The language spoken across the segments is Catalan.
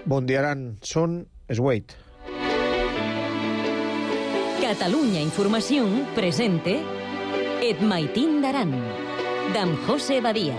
Bon dia, Aran. Són Esweit. Catalunya Informació presente Et Maitín d'Aran, d'en José Badia.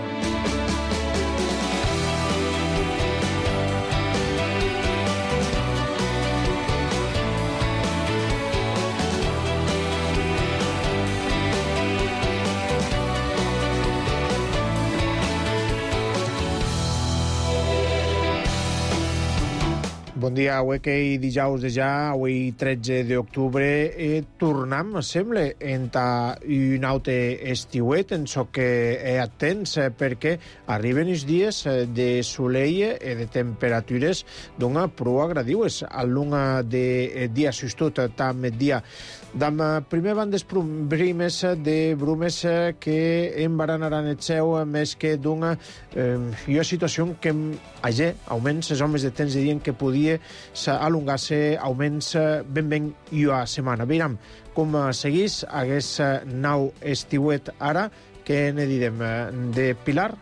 Bon dia, avui que dijous de ja, avui 13 d'octubre, tornem, sembla, entà un altre estiuet, en so que atents, perquè arriben els dies de solell i de temperatures d'una prou agradiues. A l'una de dia sustut, tam dia dam primer van des primes de brumes que embaranaran el seu més que d'una situació que allà augments els homes de temps dirien que podia alongar-se augments ben i a setmana. Veiram com seguís aquest nou estiuet ara, que ne direm de Pilar.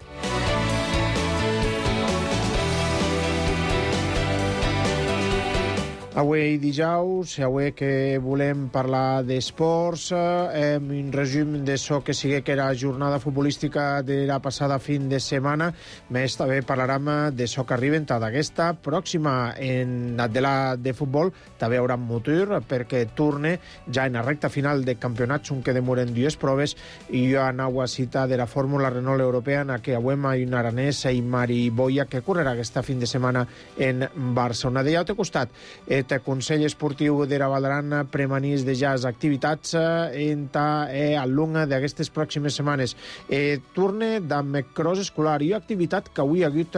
Avui dijous, avui que volem parlar d'esports, un resum de so que sigui que era jornada futbolística de la passada fin de setmana, més també parlarem de so que arriben d'aquesta pròxima en de futbol, també hi haurà motor perquè torne ja en la recta final de campionats, on que demoren dues proves, i hi ha una cita de la Fórmula Renault Europea en què avui hi ha un aranès i Mari Boia que correrà aquesta fin de setmana en Barcelona. De l'altre costat, el Consell Esportiu de la Valdaran premanís de ja les activitats a l'una d'aquestes pròximes setmanes. Torne d'amb cross escolar i activitat que avui ha hagut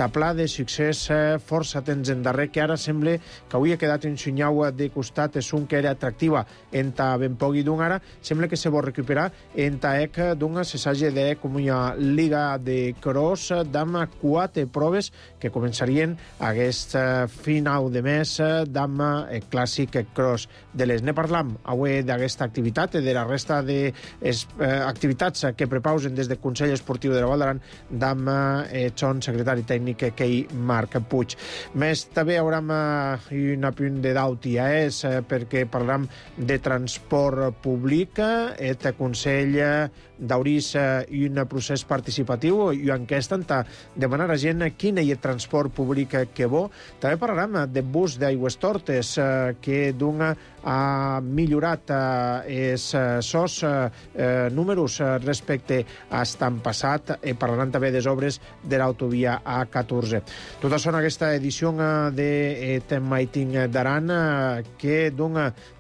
taplà de succés força temps en darrer, que ara sembla que avui ha quedat en sunyau de costat, és un que era atractiva enta ben pogui d'un ara, sembla que se vol recuperar enta d'un se s'hagi de com una liga de cross d'amb 4 proves que començarien aquest final de mes d'amb clàssic cross de les. Ne parlam avui d'aquesta activitat i de la resta d'activitats que prepausen des del Consell Esportiu de la Valdaran d'amb son secretari tècnic que Marc Puig. Més també haurem un apunt de d'Autia perquè parlam de transport públic. El Consell d'aurís un procés participatiu i una enquesta enta demanar a gent quin és el transport públic que bo. També parlarem de bus d'Aigües Tortes que ha millorat els sos números respecte a estan passat, i parlarem també de les obres de l'autovia A14. Tot això en aquesta edició de Maitín d'Aran, que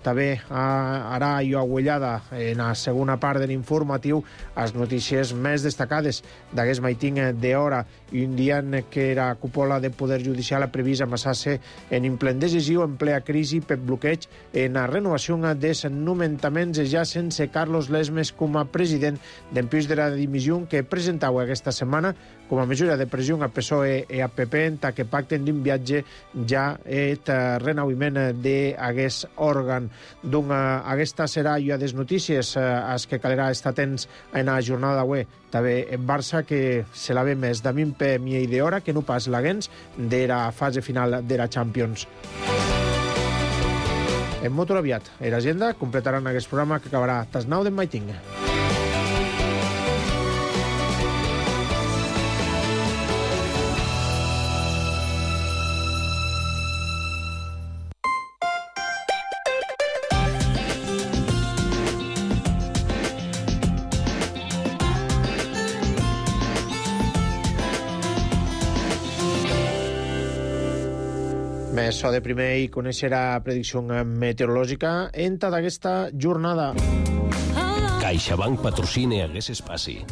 també harà jo agüellada en la segona part de l'informatiu les notícies més destacades d'aquest Maitín d'hora, i un dia en què la cúpula de Poder Judicial ha previst amassar-se en ple decisiu, en plena crisi per bloqueig en la renovació dels nomenaments ja sense Carlos Lesmes com a president d'empús de la dimissió que presentava aquesta setmana com a mesura de pressió a PSOE i a PP en que pacten d'un viatge ja el renovament d'aquest òrgan. Aquesta serà ja des notícies als que calerà estar atents en la jornada d'avui. També en Barça, que se la ve més de min per mi d'hora que no pas l'aguens de la fase final de la Champions. En molt aviat, a l'agenda completaran aquest programa que acabarà tas 9 d'en Maitín. Més so de primer i conèixer la predicció meteorològica enta d'aquesta jornada. CaixaBank patrocina aquest espai.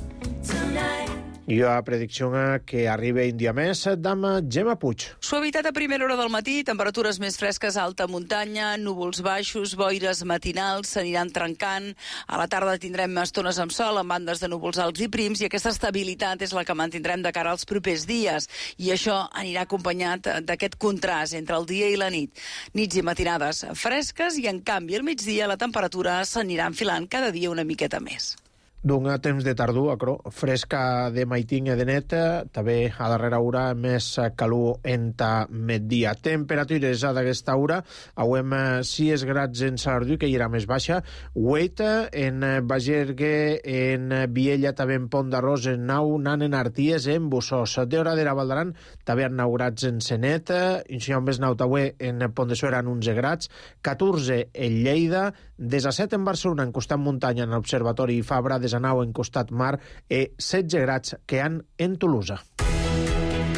I la predicció que arriba un dia més d'amb Gemma Puig. Suavitat a primera hora del matí, temperatures més fresques a alta muntanya, núvols baixos, boires matinals s'aniran trencant. A la tarda tindrem estones amb sol, amb bandes de núvols alts i prims, i aquesta estabilitat és la que mantindrem de cara als propers dies. I això anirà acompanyat d'aquest contrast entre el dia i la nit. Nits i matinades fresques i, en canvi, al migdia la temperatura s'anirà enfilant cada dia una miqueta més. D'un temps de tardor, fresca de maitin i de net, també a darrera hora més calor enta migdia. Temperatures a d'aquesta hora, avem 6 grads en Salardú, que hi era més baixa, 8 en Bagergue, en Viella, també en Pont d'Arròs, en Nau, Nan, en Arties, en Bussós. De hora de la Valdaran, també en 9 grads en Senet, en més Nau, també en Pont de Suera, en 11 grads, 14 en Lleida, 17 en Barcelona, en costat muntanya, en l'Observatori Fabra, 19 en costat mar, i 16 grads que han en Tolosa.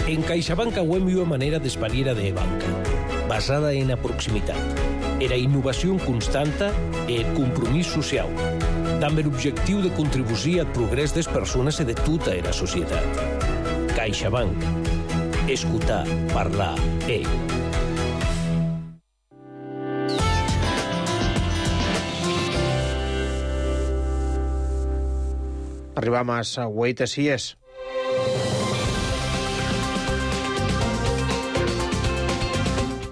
En CaixaBank auem una manera d'espariera de banca, basada en la proximitat, era innovació constanta i el compromís social, amb l'objectiu de contribuir al progrés de les persones i de tota la societat. CaixaBank. Escoltar, parlar, Arribam a la 8 a 6.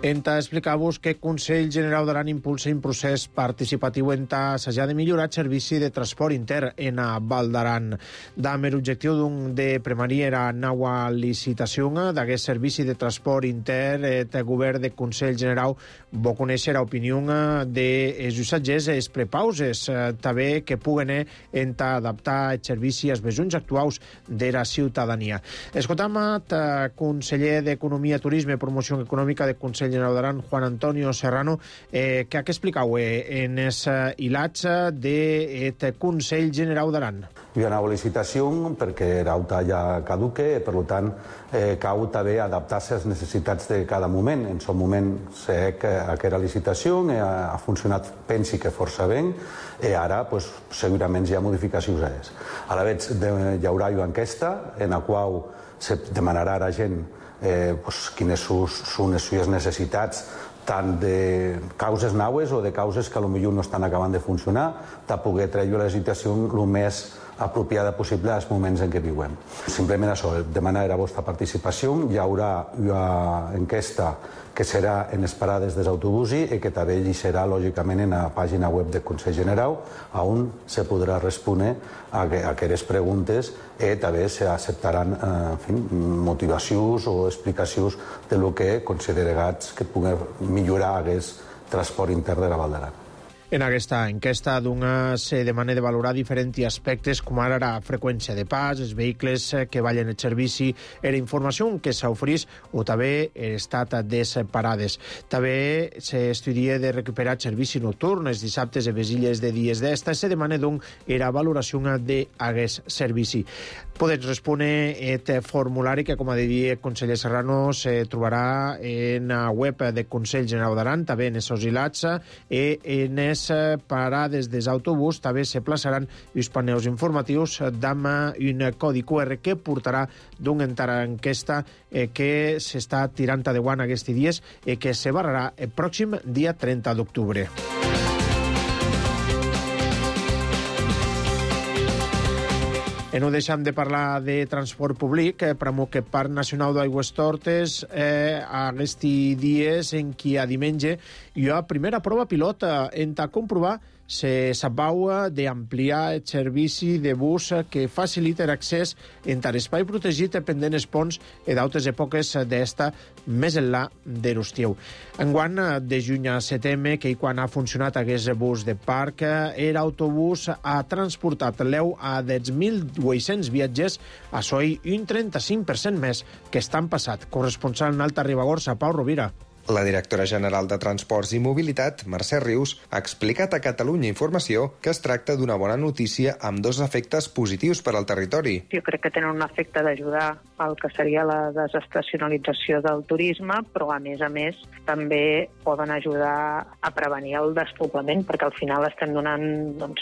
Enta explicar-vos que el Consell Generau d'Aran impulsa un procés participatiu enta assajar de millorar el servici de transport intern en a Val d'Aran. Amb l'objectiu de premar era nova licitació d'aquest servici de transport intern, el govern del Consell Generau va conèixer l'opinió dels usatgers i els prepauses, també que puguen adaptar el servici als besoins actuals de la ciutadania. Escoltam el conseller d'Economia, Turisme i Promoció Econòmica del Consell General d'Aran, Juan Antonio Serrano, que ha explicau en els hilats del Consell General d'Aran. Hi ha una nova licitació perquè l'auta ja caduque, per tant, cal també adaptar-se a les necessitats de cada moment. En aquest moment sé que aquesta licitació ha funcionat, pensi que força bé, i ara segurament hi ha modificacions a ells. A la vegada hi haurà una enquesta en la qual se demanarà a la gent quines són les seves necessitats, tant de causes naues o de causes que potser no estan acabant de funcionar, de poder treure la licitació el més apropiada possible als moments en què vivim. Simplement això, demanar la vostra participació. Hi haurà una enquesta que serà en les parades dels autobusos i que també hi serà, lògicament, en la pàgina web del Consell General, on se podrà respondre a aquestes preguntes i també s'acceptaran motivacions o explicacions del que considerats que pugui millorar aquest transport intern de la Val d'Aran. En aquesta enquesta se demana de valorar diferents aspectes com ara la freqüència de pas, els vehicles que ballen el servici, la informació que s'oferís o també l'estat de les parades. També s'estudia de recuperar el servici nocturn, els dissabtes i les illes de dies d'esta. Se demana la valoració d'aquest servici. Podeu respondre el formulari que, com ha dit el conseller Serrano, se trobarà en la web del Consell General d'Aran, també en els hilats i en les parades dels autobús també se plaçaran els paneus informatius amb un codi QR que portarà d'una enquesta que s'està tirant endavant aquests dies i que se barrarà el pròxim dia 30 d'octubre. No deixem de parlar de transport públic, per que Parc Nacional d'Aigües Tortes aquests dies en què a diumenge hi ha primera prova pilot en comprovar se s'abau d'ampliar el servici de bus que facilita l'accés entre l'espai protegit pendent els ponts i d'altres èpoques d'esta més enllà de l'estiu. Enguany, de juny a setembre, que quan ha funcionat aquest bus de parc, l'autobús ha transportat l'eu a 10.800 viatgers, a soi un 35% més que estan passat. Corresponsal en Alta Ribagorça, Pau Rovira. La directora general de Transports i Mobilitat, Mercè Rius, ha explicat a Catalunya Informació que es tracta d'una bona notícia amb dos efectes positius per al territori. Jo crec que tenen un efecte d'ajudar al que seria la desestacionalització del turisme, però a més també poden ajudar a prevenir el despoblament, perquè al final estem donant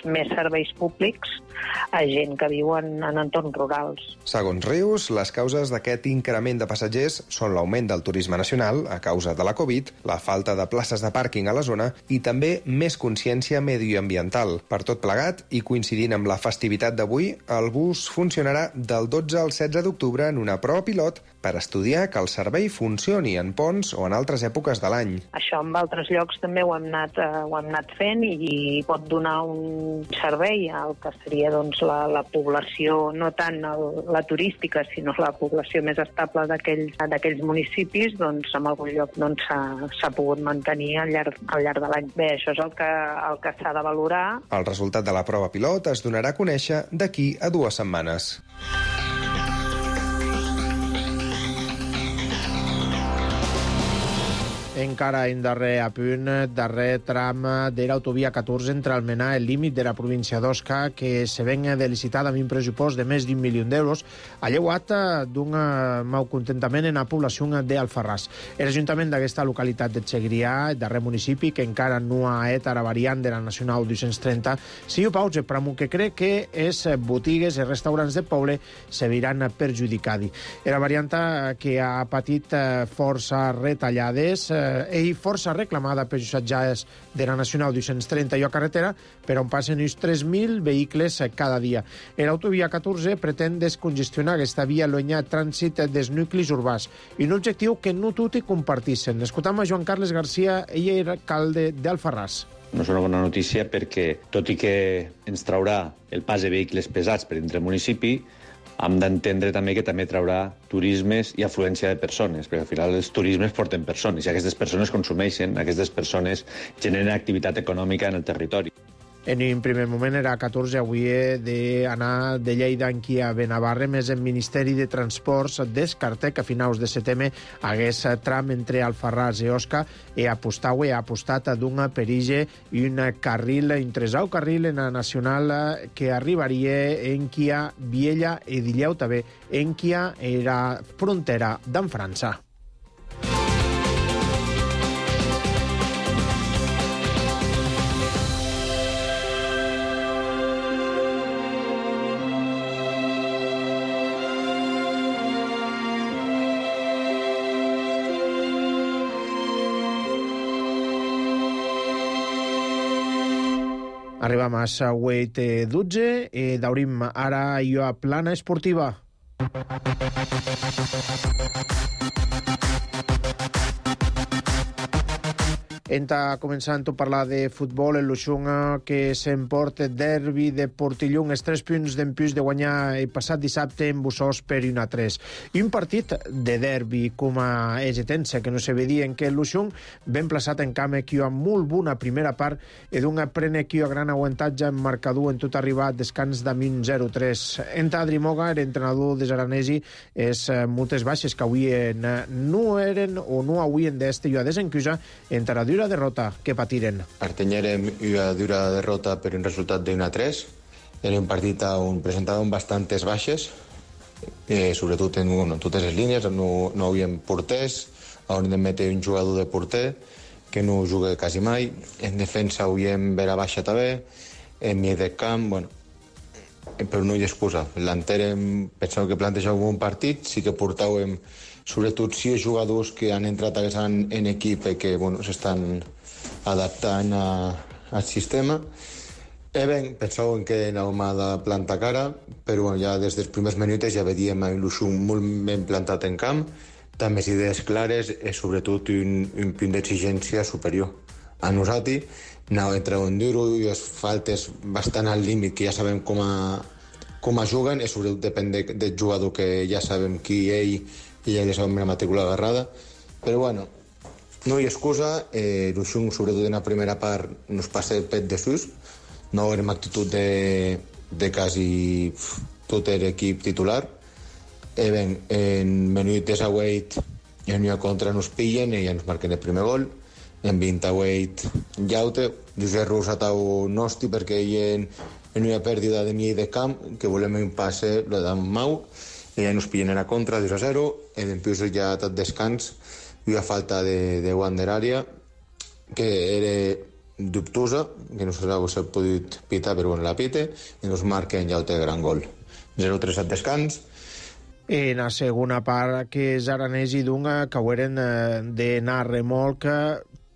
més serveis públics a gent que viu en entorns rurals. Segons Rius, les causes d'aquest increment de passatgers són l'augment del turisme nacional a causa de la Covid, la falta de places de pàrquing a la zona i també més consciència medioambiental. Per tot plegat, i coincidint amb la festivitat d'avui, el bus funcionarà del 12 al 16 d'octubre en una prova pilot per estudiar que el servei funcioni en ponts o en altres èpoques de l'any. Això en altres llocs també ho hem anat fent i pot donar un servei al que seria doncs, la població, no tant la turística, sinó la població més estable d'aquells municipis, doncs en algun lloc doncs, s'ha pogut mantenir al llarg de l'any. Bé, això és el que s'ha de valorar. El resultat de la prova pilot es donarà a conèixer d'aquí a 2 setmanes. Encara en darrer apunt, darrer tram de l'autovia 14 entre Almenar i el límit de la província d'Osca, que se ven de licitada amb un pressupost de més d'1 milió d'euros, ha llevat d'un malcontentament en la població d'Alfarràs. L'Ajuntament d'aquesta localitat de Segrià, el darrer municipi, que encara no ha et a la variant de la Nacional 230, si ho pausa per amb que crec que les botigues i restaurants del poble se veuran perjudicats. La variant que ha patit força retallades i força reclamada per els usatges de la Nacional 230 i a carretera, per on passen uns 3.000 vehicles cada dia. L'autovia 14 pretén descongestionar aquesta via llunyà trànsit dels nuclis urbans i un objectiu que no tots compartissin. Escoltam a Joan Carles García, ell era alcalde d'Alfarràs. No és una bona notícia perquè, tot i que ens traurà el pas de vehicles pesats per entre el municipi, hem d'entendre també que també traurà turismes i afluència de persones, perquè al final els turismes porten persones i aquestes persones consumeixen, aquestes persones generen activitat econòmica en el territori. En un primer moment era 14, avui d'anar de Lleida aquí a Benavarre, més el Ministeri de Transports descarta que a finals de setembre hagués tram entre Alfarràs i Osca i ha apostat d'un perige i un carril, un tresau carril en la Nacional que arribaria en Quia, Viella i Dilleu també, en Quia era frontera d'en França. Arribam a la 8:12 i daurim ara jo a plana esportiva. Enta començant a parlar de futbol, el Luxunga que s'emporta derbi de Portillon, els 3 punts d'empús de guanyar el passat dissabte en Bussós per 1-3. I un partit de derbi com a Egetense, que no se vedia en què el Luxung ben plaçat en camp que amb molt bona primera part i d'un prene que a gran aguantatge en marcador en tot arribar descans de 0-3. Enta Adrimoga, l'entrenador de Zaranesi, és moltes baixes que avui no eren o no avuen d'este i a desencusa entre la dura derrota que patiren. Artenyerem una dura derrota per un resultat de 1-3. Era un partit on presentàvem bastantes baixes, sobretot en totes les línies, no havíem porters, on hem de metre un jugador de porter, que no juga quasi mai. En defensa havíem vera baixa també, en mig de camp, bueno, però no hi ha excusa. L'enterem, penseu que plantejàvem un partit, sí que portàvem sobretot 6 jugadors que han entrat en equip i que bueno, s'estan adaptant al sistema. Pensàvem que anàvem a de plantar cara, però bueno, ja des dels primers minuts ja veiem un Luxung molt ben plantat en camp, també les idees clares i sobretot un punt d'exigència superior. A nosaltres anava entre un duro i les faltes bastant al límit, que ja sabem com a juguen, i sobretot depèn del jugador, que ja sabem qui ell i ja sabem la matrícula agarrada. Però bueno, no hi ha excusa. Luxung, sobretot en la primera part, nos passa el pet de sus. No érem actitud de quasi tot l'equip titular. En minut de 8 en una contra nos pillen i ja ens marquen el primer gol. En 28 llaute. Josep Rus atau nosti perquè hi en una pèrdua de mig de camp, que volem un passe, lo dan mau, i ja nos pillen en la contra, 2-0, i després ja tot descans, i una falta de Wander àrea, que era dubtosa, que no s'ha pogut pitar, però bueno, la pite, i nos marquen ja el gran gol. 0-3 al descans, En la segona part, que és Aranès i Dunga, que haueren d'anar a remolc,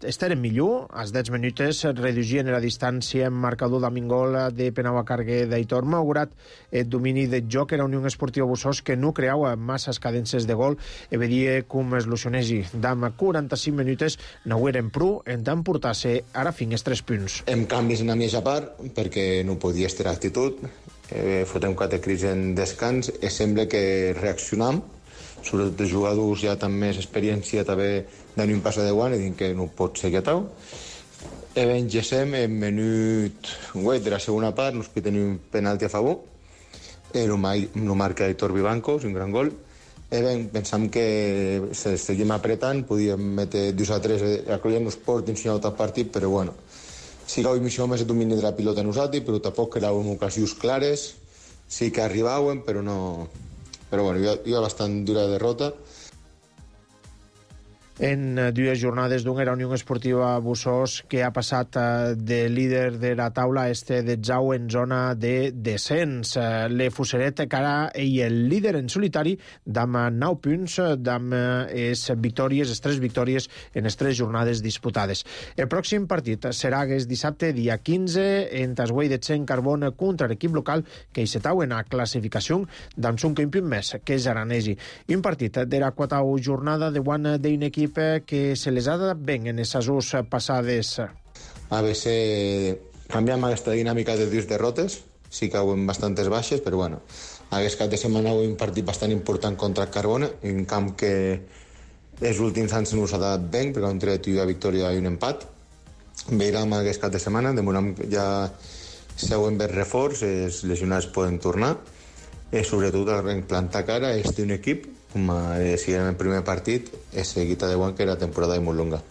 esteren millor, als 10 minuts reduïen la distància en marcador d'Amingol de Penau a Carguer d'Aitor, malgrat el domini de joc era Unió Esportiva Bussós, que no creava masses cadences de gol i veia com es lucionegi. D'am 45 minuts n'haueren prou en tant portar-se ara fins 3 punts. Hem canvis en la mitja part perquè no podia estar actitud, fotem 4 crits en descans i sembla que reaccionam, sobretot els jugadors ja amb més experiència també d'un pas de guant i dic que no pot ser quietau. Engegem en minut 8 de la segona part, nos tenim un penalti a favor, no marca Aitor Vivancos, un gran gol. Pensam que si seguim apretant podíem metre 2-3 a Collant-nos port ensenyar tot el partit, però bueno, sí que avui missió més el domini de la pilota nosaltres, però tampoc eren ocasions clares, sí que arribaven, però no... Però bueno, hi ha bastant dura derrota. En 2 jornades d'un era Unió Esportiva Bussós, que ha passat de líder de la taula de Zau en zona de descens. Le Fuseret, que ara ell el líder en solitari, d'am 9 punts, d'am les 3 victòries en les 3 jornades disputades. El pròxim partit serà aquest dissabte, dia 15, en Tasguei de Tsen Carbon contra l'equip local, que hi setau en la classificació d'am 5 punts més, que és Aranesi. Un partit de la 4ª jornada de guany d'un equip que se les ha dat ben en les assos passades. A veces canviam aquesta dinàmica de 2 derrotes, sí que hi ha bastantes baixes, però bueno, aquest cap de setmana hi ha un partit bastant important contra el Carbona, un camp que els últims anys no s'ha dat ben, perquè han tret una victòria i un empat. Veurem aquest cap de setmana, demorem ja si heu vist reforç, els lesionats poden tornar, i sobretot en plantar cara és un equip, com si era el primer partit, és seguida de guany que era temporada molt longa.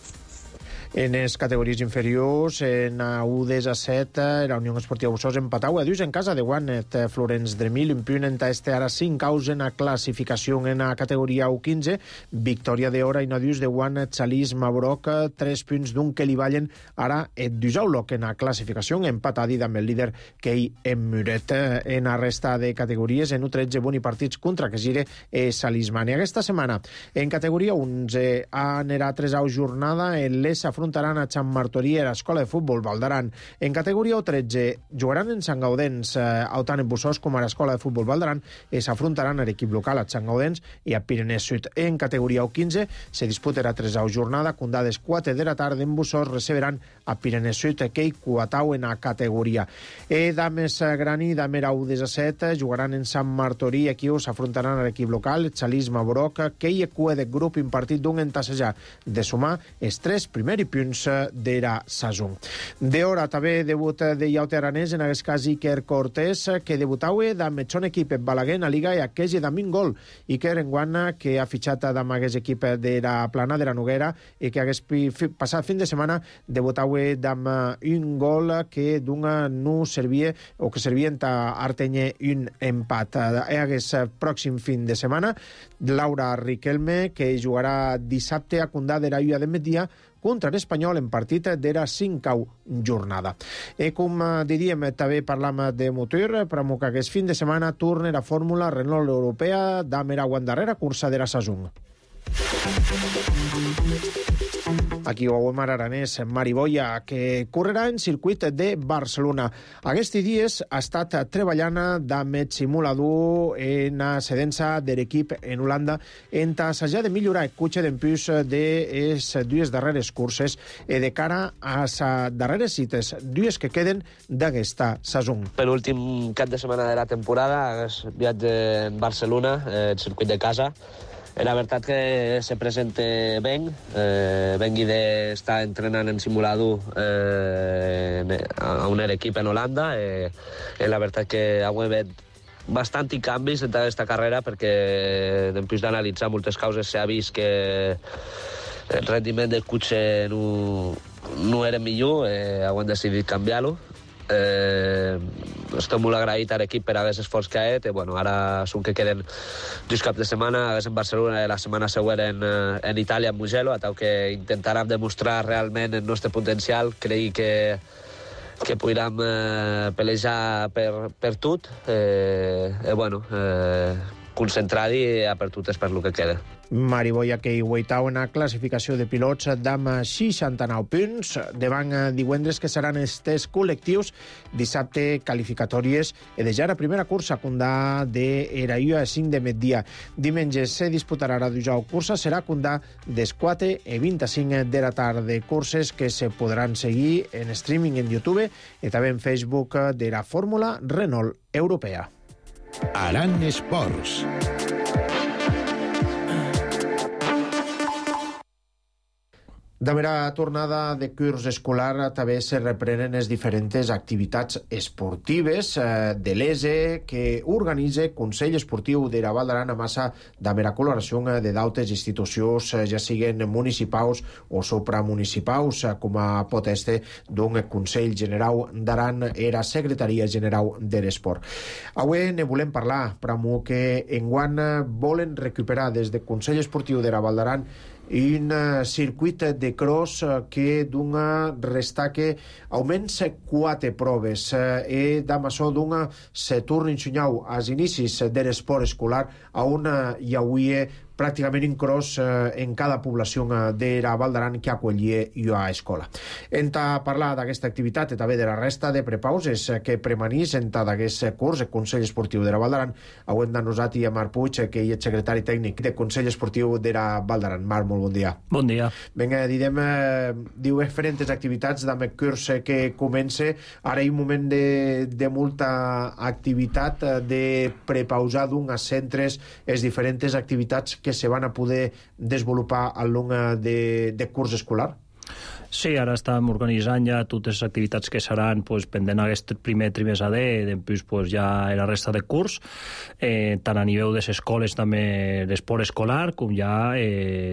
En les categories inferiors, en U10 a 7, la Unió Esportiva Bussós empatau a 2 en casa de Guanet, Florenç Dremil, un punt en ara 5 caus en la classificació en la categoria U15, victòria d'hora i no dius de Guanet, Salís, Mabroc, 3 punts d'un que li ballen ara et Dusauloc en la classificació, empatadi amb el líder Kei Muret. En la resta de categories, en U13, boni partits contra que gire Salismani. Aquesta setmana, en categoria 11, anirà 3a jornada, en les afrontaran a Sant Martorí a l'Escola de Futbol Valdaran. En categoria U13 jugaran en Sant Gaudens, tant en Bussós com a l'Escola de Futbol Valdaran, i s'afrontaran a l'equip local a Sant Gaudens i a Pirinès Sud. En categoria U15 se disputarà 3a jornada, condades 4 de la tarda en Bussós receberan a Pirinès Sud, que hi cuatau en la categoria. Dames Grani, Damera U17 jugaran en Sant Martorí, aquí s'afrontaran a l'equip local, Xalís Mabroc, que hi cua de grup un partit d'un entassejar de sumar els 3 primers punts de la saison. D'hora també debut de Iaute Aranès, en aquest cas Iker Cortés, que debutaue amb el equip Balaguer en la Liga i aquell de un gol. Iker Enguana, que ha fitxat amb aquest equip de la Plana de la Noguera i que hagués passat fin de setmana debutaue amb un gol que d'una no servia o que servia a Artenye un empat. Aquest pròxim fin de setmana, Laura Riquelme, que jugarà dissabte a Condà de la Illa de Media contra l'Espanyol en partit de la 5a jornada. Com diríem, també parlam de motor, però que aquest fin de setmana torna la fórmula Renault Europea d'Amera Guandarrera, cursa de la saison. Aquí ho veiem Aranès, Mariboia, que correrà en circuit de Barcelona. Aquests dies ha estat treballant amb el simulador en la cedença de l'equip en Holanda en assajar de millorar el cotxe d'empús de les 2 darreres curses i de cara a les darreres cites, 2 que queden d'aquesta saison. Per l'últim cap de setmana de la temporada, el viatge en Barcelona, el circuit de casa. La veritat que se presenta ben. Vengui d'estar entrenant en simulador a un equip en Holanda. La veritat que ha hagut bastant canvis en aquesta carrera perquè després d'analitzar moltes causes s'ha vist que el rendiment del cotxe no era millor. Hem decidit canviar-lo. Estic molt agraït a l'equip per aquest esforç que ha fet. Ara són que queden 2 caps de setmana, en Barcelona i la setmana següent en Itàlia, en Mugello, a tal que intentarem demostrar realment el nostre potencial. Crec que podrem pelejar per tot. concentrat i apertutes per lo que queda. Mariboia que hi guaitau en la classificació de pilots d'am 69 punts. Davant divendres que seran els tests col·lectius, dissabte qualificatòries i de ja la primera cursa condà d'Eraïa a 5 de migdia. Diumenge se disputarà la dujau cursa, serà condà des 4 i 25 de la tarda. Curses que se podran seguir en streaming en YouTube i també en Facebook de la Fórmula Renault Europea. Aran Esports. Damb la tornada de curs escolar també se reprenen les diferents activitats esportives de l'ESE que organitza Consell Esportiu de la Val d'Aran a massa damb la col·laboració de d'altres institucions, ja siguen municipals o supramunicipals, com a pot este d'un Consell General d'Aran i la Secretaria General de l'Esport. Avui ne volem parlar, però que enguany volen recuperar des del Consell Esportiu de la Val d'Aran un circuit de cross que dona restaque almenys 4 proves i d'amassó dona se torna ensenyau als inicis de l'esport escolar on hi hauria pràcticament un cross en cada població de la Val d'Aran que acollia a escola. Enta parlar d'aquesta activitat i també de la resta de prepauses que premanís enta d'aquest curs el Consell Esportiu de la Val d'Aran, avui de nosaltres a Marc Puig, que és secretari tècnic del Consell Esportiu de la Val d'Aran. Marc, molt bon dia. Bon dia. Vinga, direm diferents activitats amb el curs que comença. Ara hi ha un moment de molta activitat, de prepausar d'uns centres les diferents activitats que se van a poder desenvolupar al long de curs escolar? Sí, ara estem organitzant ja totes les activitats que seran pendent aquest primer trimestre després ja la resta de curs, tant a nivell de les escoles també l'esport escolar, com ja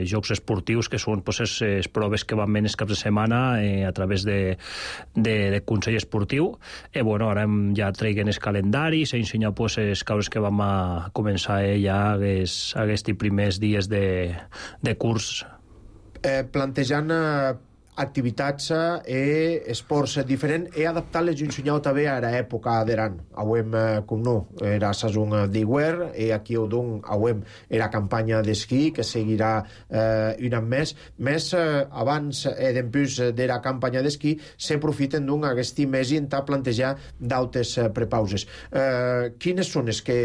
jocs esportius, que són les proves que van venir els caps de setmana a través de Consell Esportiu. Ara ja traiguen el calendari, s'ha ensenyat els causes que vam a començar ja aquests primers dies de curs. Plantejant activitats i esports diferents i adaptar-les i ensenyar també a l'època d'Aran. Avui, com no, era la saison d'hivern i aquí avui era campanya d'esquí que seguirà un any més abans i després de la campanya d'esquí s'aprofiten d'aquest mes i a plantejar d'altres prepauses. Quines són les que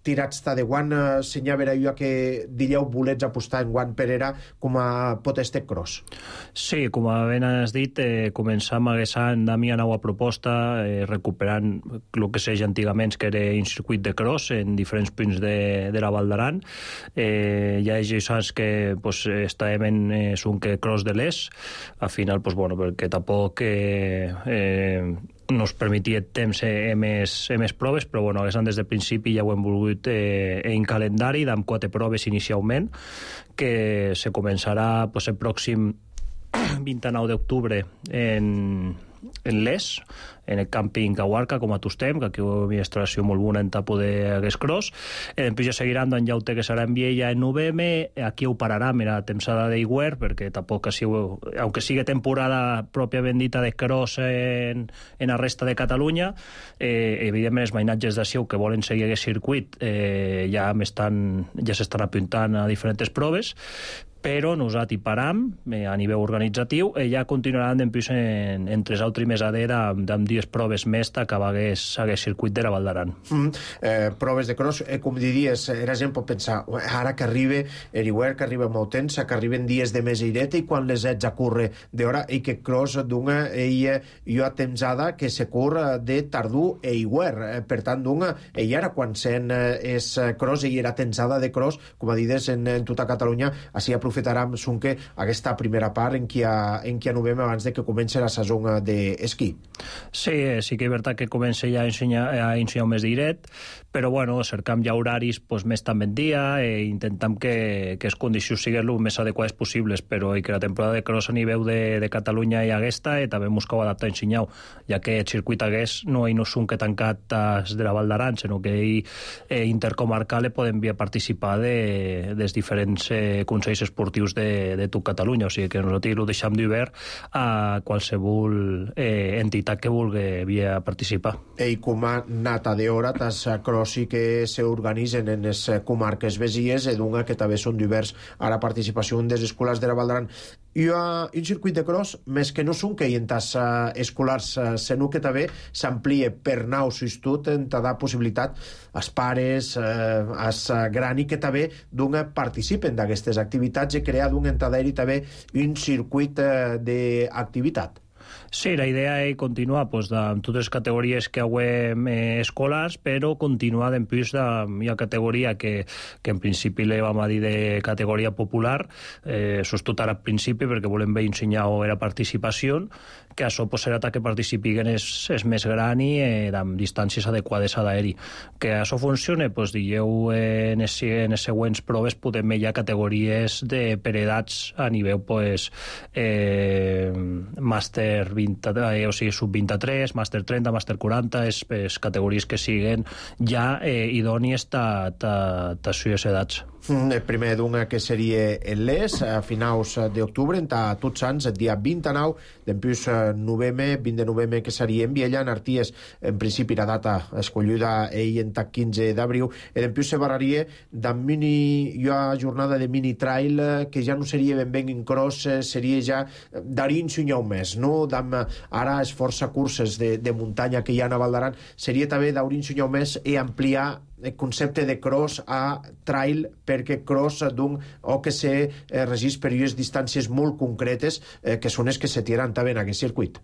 tirats de guant senyava jo que diríeu volets apostar en guant per era com a pot este cross? Sí, com ben has dit, començam aquest any amb una nova proposta recuperant el que s'eix antigament que era un circuit de cross en diferents punts de la Val d'Aran. Ja és anys que estàvem en un cross de l'Es, al final perquè tampoc nos permetia temps més proves, però des del principi ja ho hem volgut en calendari amb 4 proves inicialment, que se començarà el pròxim 29 d'octubre en l'Es, en el càmping Cahuarca, com a Tostem, que aquí hi ha una instal·lació molt bona en tapo d'aquest cross. Després ja seguiran d'en Llaute, que serà en Viella en novembre. Aquí ho pararà a la temporada d'hivern, perquè tampoc, aunque sigui temporada pròpiament dita de cross en la resta de Catalunya, evidentment els mainatges de Siu que volen seguir aquest circuit ja s'estan apuntant a diferents proves, però nosaltres hi param a nivell organitzatiu i ja continuaran després entre els altres mesadera amb 10 proves més d'acabar aquest circuit de la Val d'Aran. Proves de cross, com diries, la gent pot pensar, ara que arriba l'hivern, que arriba molt temps, que arriben dies de més aireta i quan les ets a córrer d'hora i que cross d'una hi ha temsada que se corre de tardor i hivern. Per tant, i ara quan sent és cross i era tensada de cross, com a dides en tota Catalunya, així aprofitarem aquesta primera part en què anovem abans de que comenci la saison d'esquí. Sí que és veritat que comença ja a ensenyar més directe, però cercam ja horaris més també en dia i intentam que les condicions siguin el més adequades possibles, però que la temporada de cross a nivell de Catalunya hi aquesta i també buscau adaptar a ensenyar, ja que el circuit hagués no són que tancat de la Val d'Aran, sinó que intercomarcal podem participar dels diferents consells esportius de tot Catalunya, o sigui que nosaltres ho deixem d'hivern a qualsevol entitat que vulgui participar. I com a nata d'hora, tas cross però sí que s'organitzen en les comarques vesies i d'un que també són divers a la participació des escolars de la Valdaran. I un circuit de cross, més que no són que hi entas escolars, sinó que també s'amplia per naus i tot en dar possibilitat als pares, als grani que també d'un participen d'aquestes activitats i crear d'un entaderi també un circuit d'activitat. Sí, la idea és continuar amb totes les categories que hauem escolars, però continuar d'empús hi ha categoria que en principi le vam a dir de categoria popular, sostot ara al principi perquè volem bé ensenyar la participació, que això serà que participin és més gran i amb distàncies adequades a l'aeri. Que això funcione, dieu en les següents proves podem hi ha categories per edats a nivell màster 20, o sigui, sub-23, màster 30, màster 40, les categories que siguen ja idònies a sues edats. El primer d'una que seria el Les, a finals d'octubre, a Tots Sants, el dia 29, d'empús novembre, 20 de novembre, que seria en Viella, en Arties, en principi la data escollida ell en 15 d'abril, i d'empús se barraria hi ha jornada de mini-trail, que ja no seria ben en cross, seria ja d'arins un un mes, no? Ara és força curses de muntanya que hi ha a Valdaran, seria també d'arins un mes i ampliar el concepte de cross a trail, perquè cross o que se regís per unes distàncies molt concretes que són les que se tiran també en aquest circuit.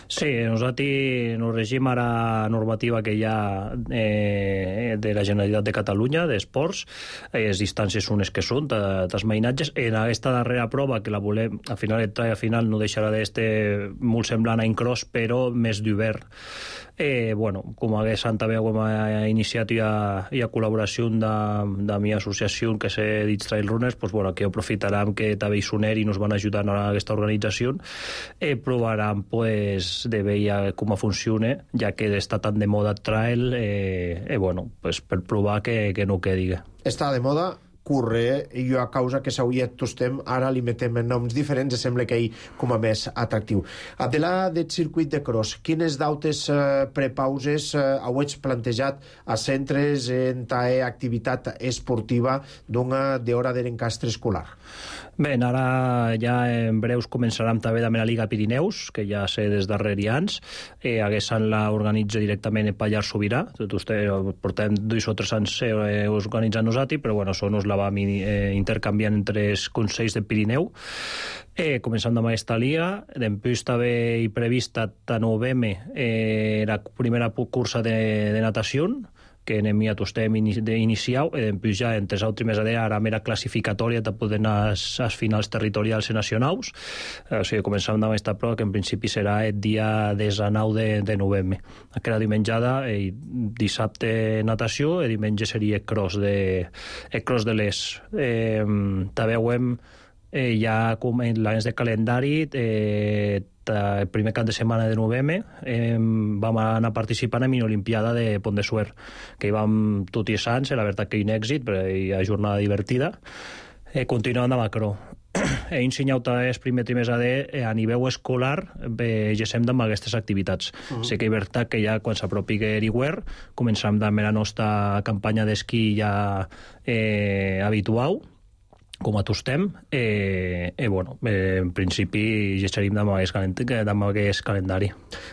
Sí, nosaltres nos regim a la normativa que hi ha de la Generalitat de Catalunya d'esports, les distàncies són les que són, dels mainatges. En aquesta darrera prova, que la volem, al final el trail al final no deixarà d'estar molt semblant a en cross, però més d'hivern. Com hagués també hem iniciat i a col·laboració de la meva associació que s'ha dit Trail Runners, que aprofitarem que també hi soner i nos van ajudar a aquesta organització, provarem de veure com funciona, ja que està tan de moda trail, per provar que no quedi. Està de moda curre, i jo a causa que s'hauria tostem, ara li metem noms diferents i sembla que ell com a més atractiu. A de la del circuit de cross, quines dautes prepauses hauets plantejat a centres en activitat esportiva d'hora d'encastre escolar? Bé, ara ja en breus començarem també amb la Liga Pirineus, que ja sé des darrere anys, haguessin l'organitza directament el Pallars Sobirà, portem 2 o 3 anys organitzant nosaltres, però això nos la vam intercanviant entre els consells del Pirineu. Començant amb aquesta liga, després també hi prevista a novembre la primera cursa de natació, que anem a tostem iniciau, i després ja entre els altres mesos ara mera classificatòria de poder anar als finals territorials i nacionals. O sigui, començam amb aquesta prova, que en principi serà el dia 19 de novembre. Aquella dimenjada, dissabte natació, i diumenge seria el cross de l'Es. També veiem ja com l'any de calendari, el primer cap de setmana de novembre vam anar participant en l'Olimpiada de Pont de Suert, que hi vam tots els anys, la veritat que hi ha un èxit, però hi ha jornada divertida. Continuant amb Macró. He ensenyat el primer trimestre a nivell escolar, gesem amb aquestes activitats. Sé que és veritat que ja quan s'apropi l'hivern començarem amb la nostra campanya d'esquí ja habitual, com a tostem, en principi ja estaríem amb aquest calendari.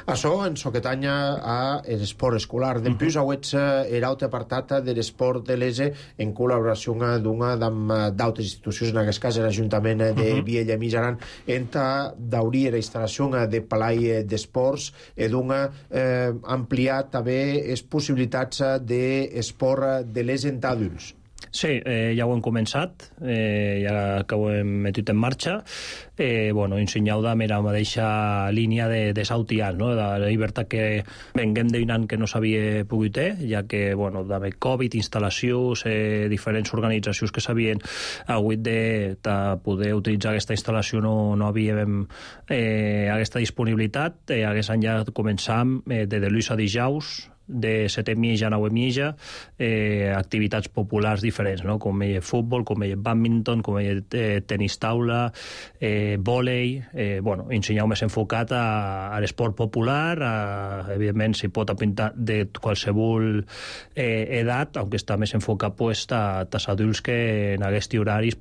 Això en soquetanya a l'esport escolar. Després hauets l'altre apartat de l'esport de l'ESE en col·laboració amb d'altres institucions, en aquest cas l'Ajuntament de Viella i Mitjaran, d'obrir la instal·lació de Palai d'Esports i d'ampliar també les possibilitats d'esport de l'ESE en adults. Sí, ja ho hem començat, ja que ho hem metut en marxa. Ensenyau de la mateixa línia de Sautian, no? De la llibertat que venguem d'un any que no s'havia pogut ja que, de Covid, instal·lacions, diferents organitzacions que s'havien hagut de poder utilitzar aquesta instal·lació no havíem aquesta disponibilitat. Aquest any ja començam de dilluns a dijous, de 7 mitja a 9 mitja, activitats populars diferents, no? Com futbol, com badminton, com tenis taula, vòlei, ensenyar més enfocat a l'esport popular, evidentment s'hi pot apuntar de qualsevol edat, aunque està més enfocat a els adults que en aquests horaris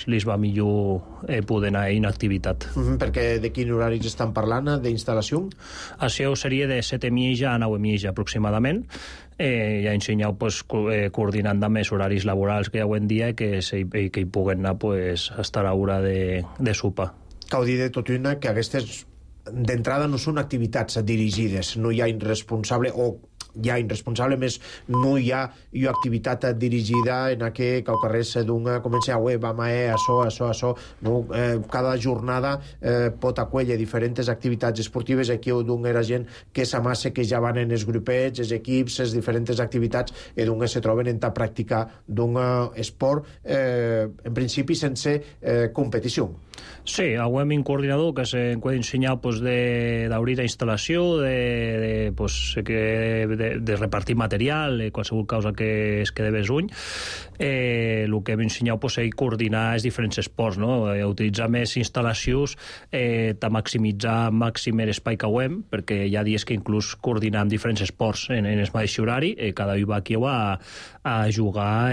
li va millor poder anar en activitat. Perquè de quin horaris estan parlant d'instal·lació? Això seria de 7 mitja a 9 mitja aproximadament. Ja ensenyeu coordinant amb els horaris laborals que hi ha avui en dia que hi puguen anar fins a l'hora de sopar. Cal dir de tot una que aquestes d'entrada no són activitats dirigides, no hi ha irresponsable o hi ha irresponsable, més no hi ha activitat dirigida en aquest carrers d'un comença vam a això, no? Cada jornada pot acollir diferents activitats esportives. Aquí d'un era gent que s'amassa, que ja van en els grupets, els equips, les diferents activitats i d'un se troben en ta pràctica d'un esport en principi sense competició. Sí, avui un coordinador que se puede ensenyar d'obrir la instal·lació, de repartir material, qualsevol cosa que es quede besuny. El que hem ensenyat és coordinar els diferents esports, no? Utilitzar més instal·lacions, maximitzar màxim l'espai que hem, perquè hi ha dies que inclús coordinam diferents esports en el mateix horari, cada un va aquí a jugar a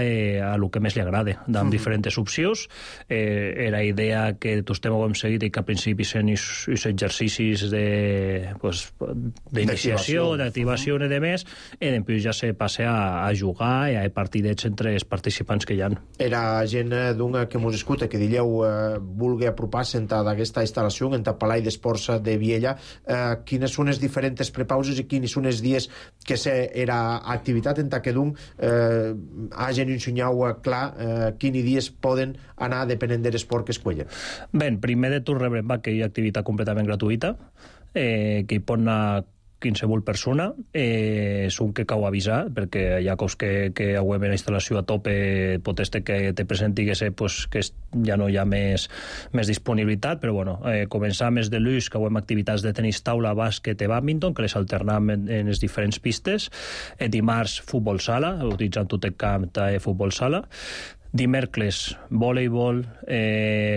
el que més li agrada, amb diferents opcions. Era idea que tots hem seguit i que al principi són els exercicis d'iniciació, d'activació i de més, i després ja se passa a jugar i a partidets entre els participants que hi ha. Era gent que mos escuta, que dieu vulgui apropar-se d'aquesta instal·lació en el Palau d'Esports de Viella. Quines són les diferents prepauses i quins són els dies que era activitat en que d'un hagin ensenyat clar quins dies poden anar depenent de l'esport que escollen? Bé, primer de tot rebrem que hi ha activitat completament gratuïta, que hi pot anar qualsevol persona. És un que cal avisar, perquè hi ha cos que avui en la instal·lació a tope pot ser que te presenti que ja no hi ha més disponibilitat, però començar més de l'ús, que avui activitats de tenis taula, bàsquet i badminton, que les alternam en les diferents pistes. Dimarts, futbol sala, utilitzant tot el camp de futbol sala. Dimecres, voleibol,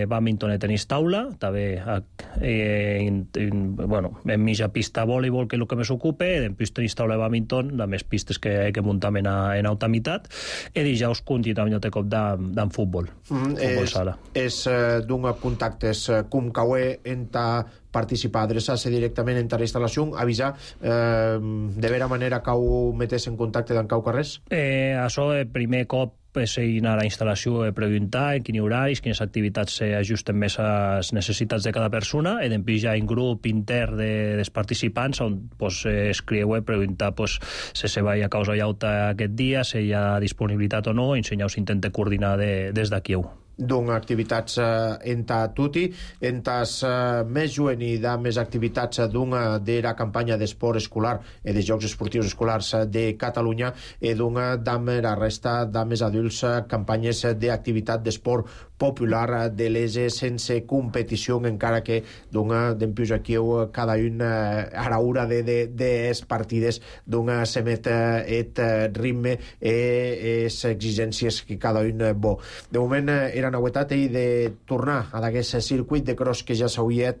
badminton i tenis taula, també en mitja pista voleibol, que és el que més ocupa, després tenis taula i badminton, de més pistes que muntam en alta meitat, i dijous continuem de cop d'en futbol sala. És d'un contactes com cauer en participar, adreçar-se directament en la instal·lació, avisar de vera manera que ho metés en contacte d'en cau carrers? Això, primer cop, anar a la instal·lació i preguntar en quins horaris, quines activitats s'ajusten més a les necessitats de cada persona, i després hi ha un grup intern dels participants on escriu i preguntar si se va a causa llauta aquest dia, si hi ha disponibilitat o no, i ensenyar s'intenta coordinar des d'aquí. D'activitats en tutti, en més jovent i de més activitats de la campanya d'esport escolar i de Jocs Esportius Escolars de Catalunya i de la resta de més adults campanyes d'activitat d'esport popular de l'ESE sense competició, encara que d'empius aquí cada un a l'hora de partides s'emet el ritme i les exigències que cada un bo. De moment era novetat de tornar a d'aquest circuit de cross que ja s'hauria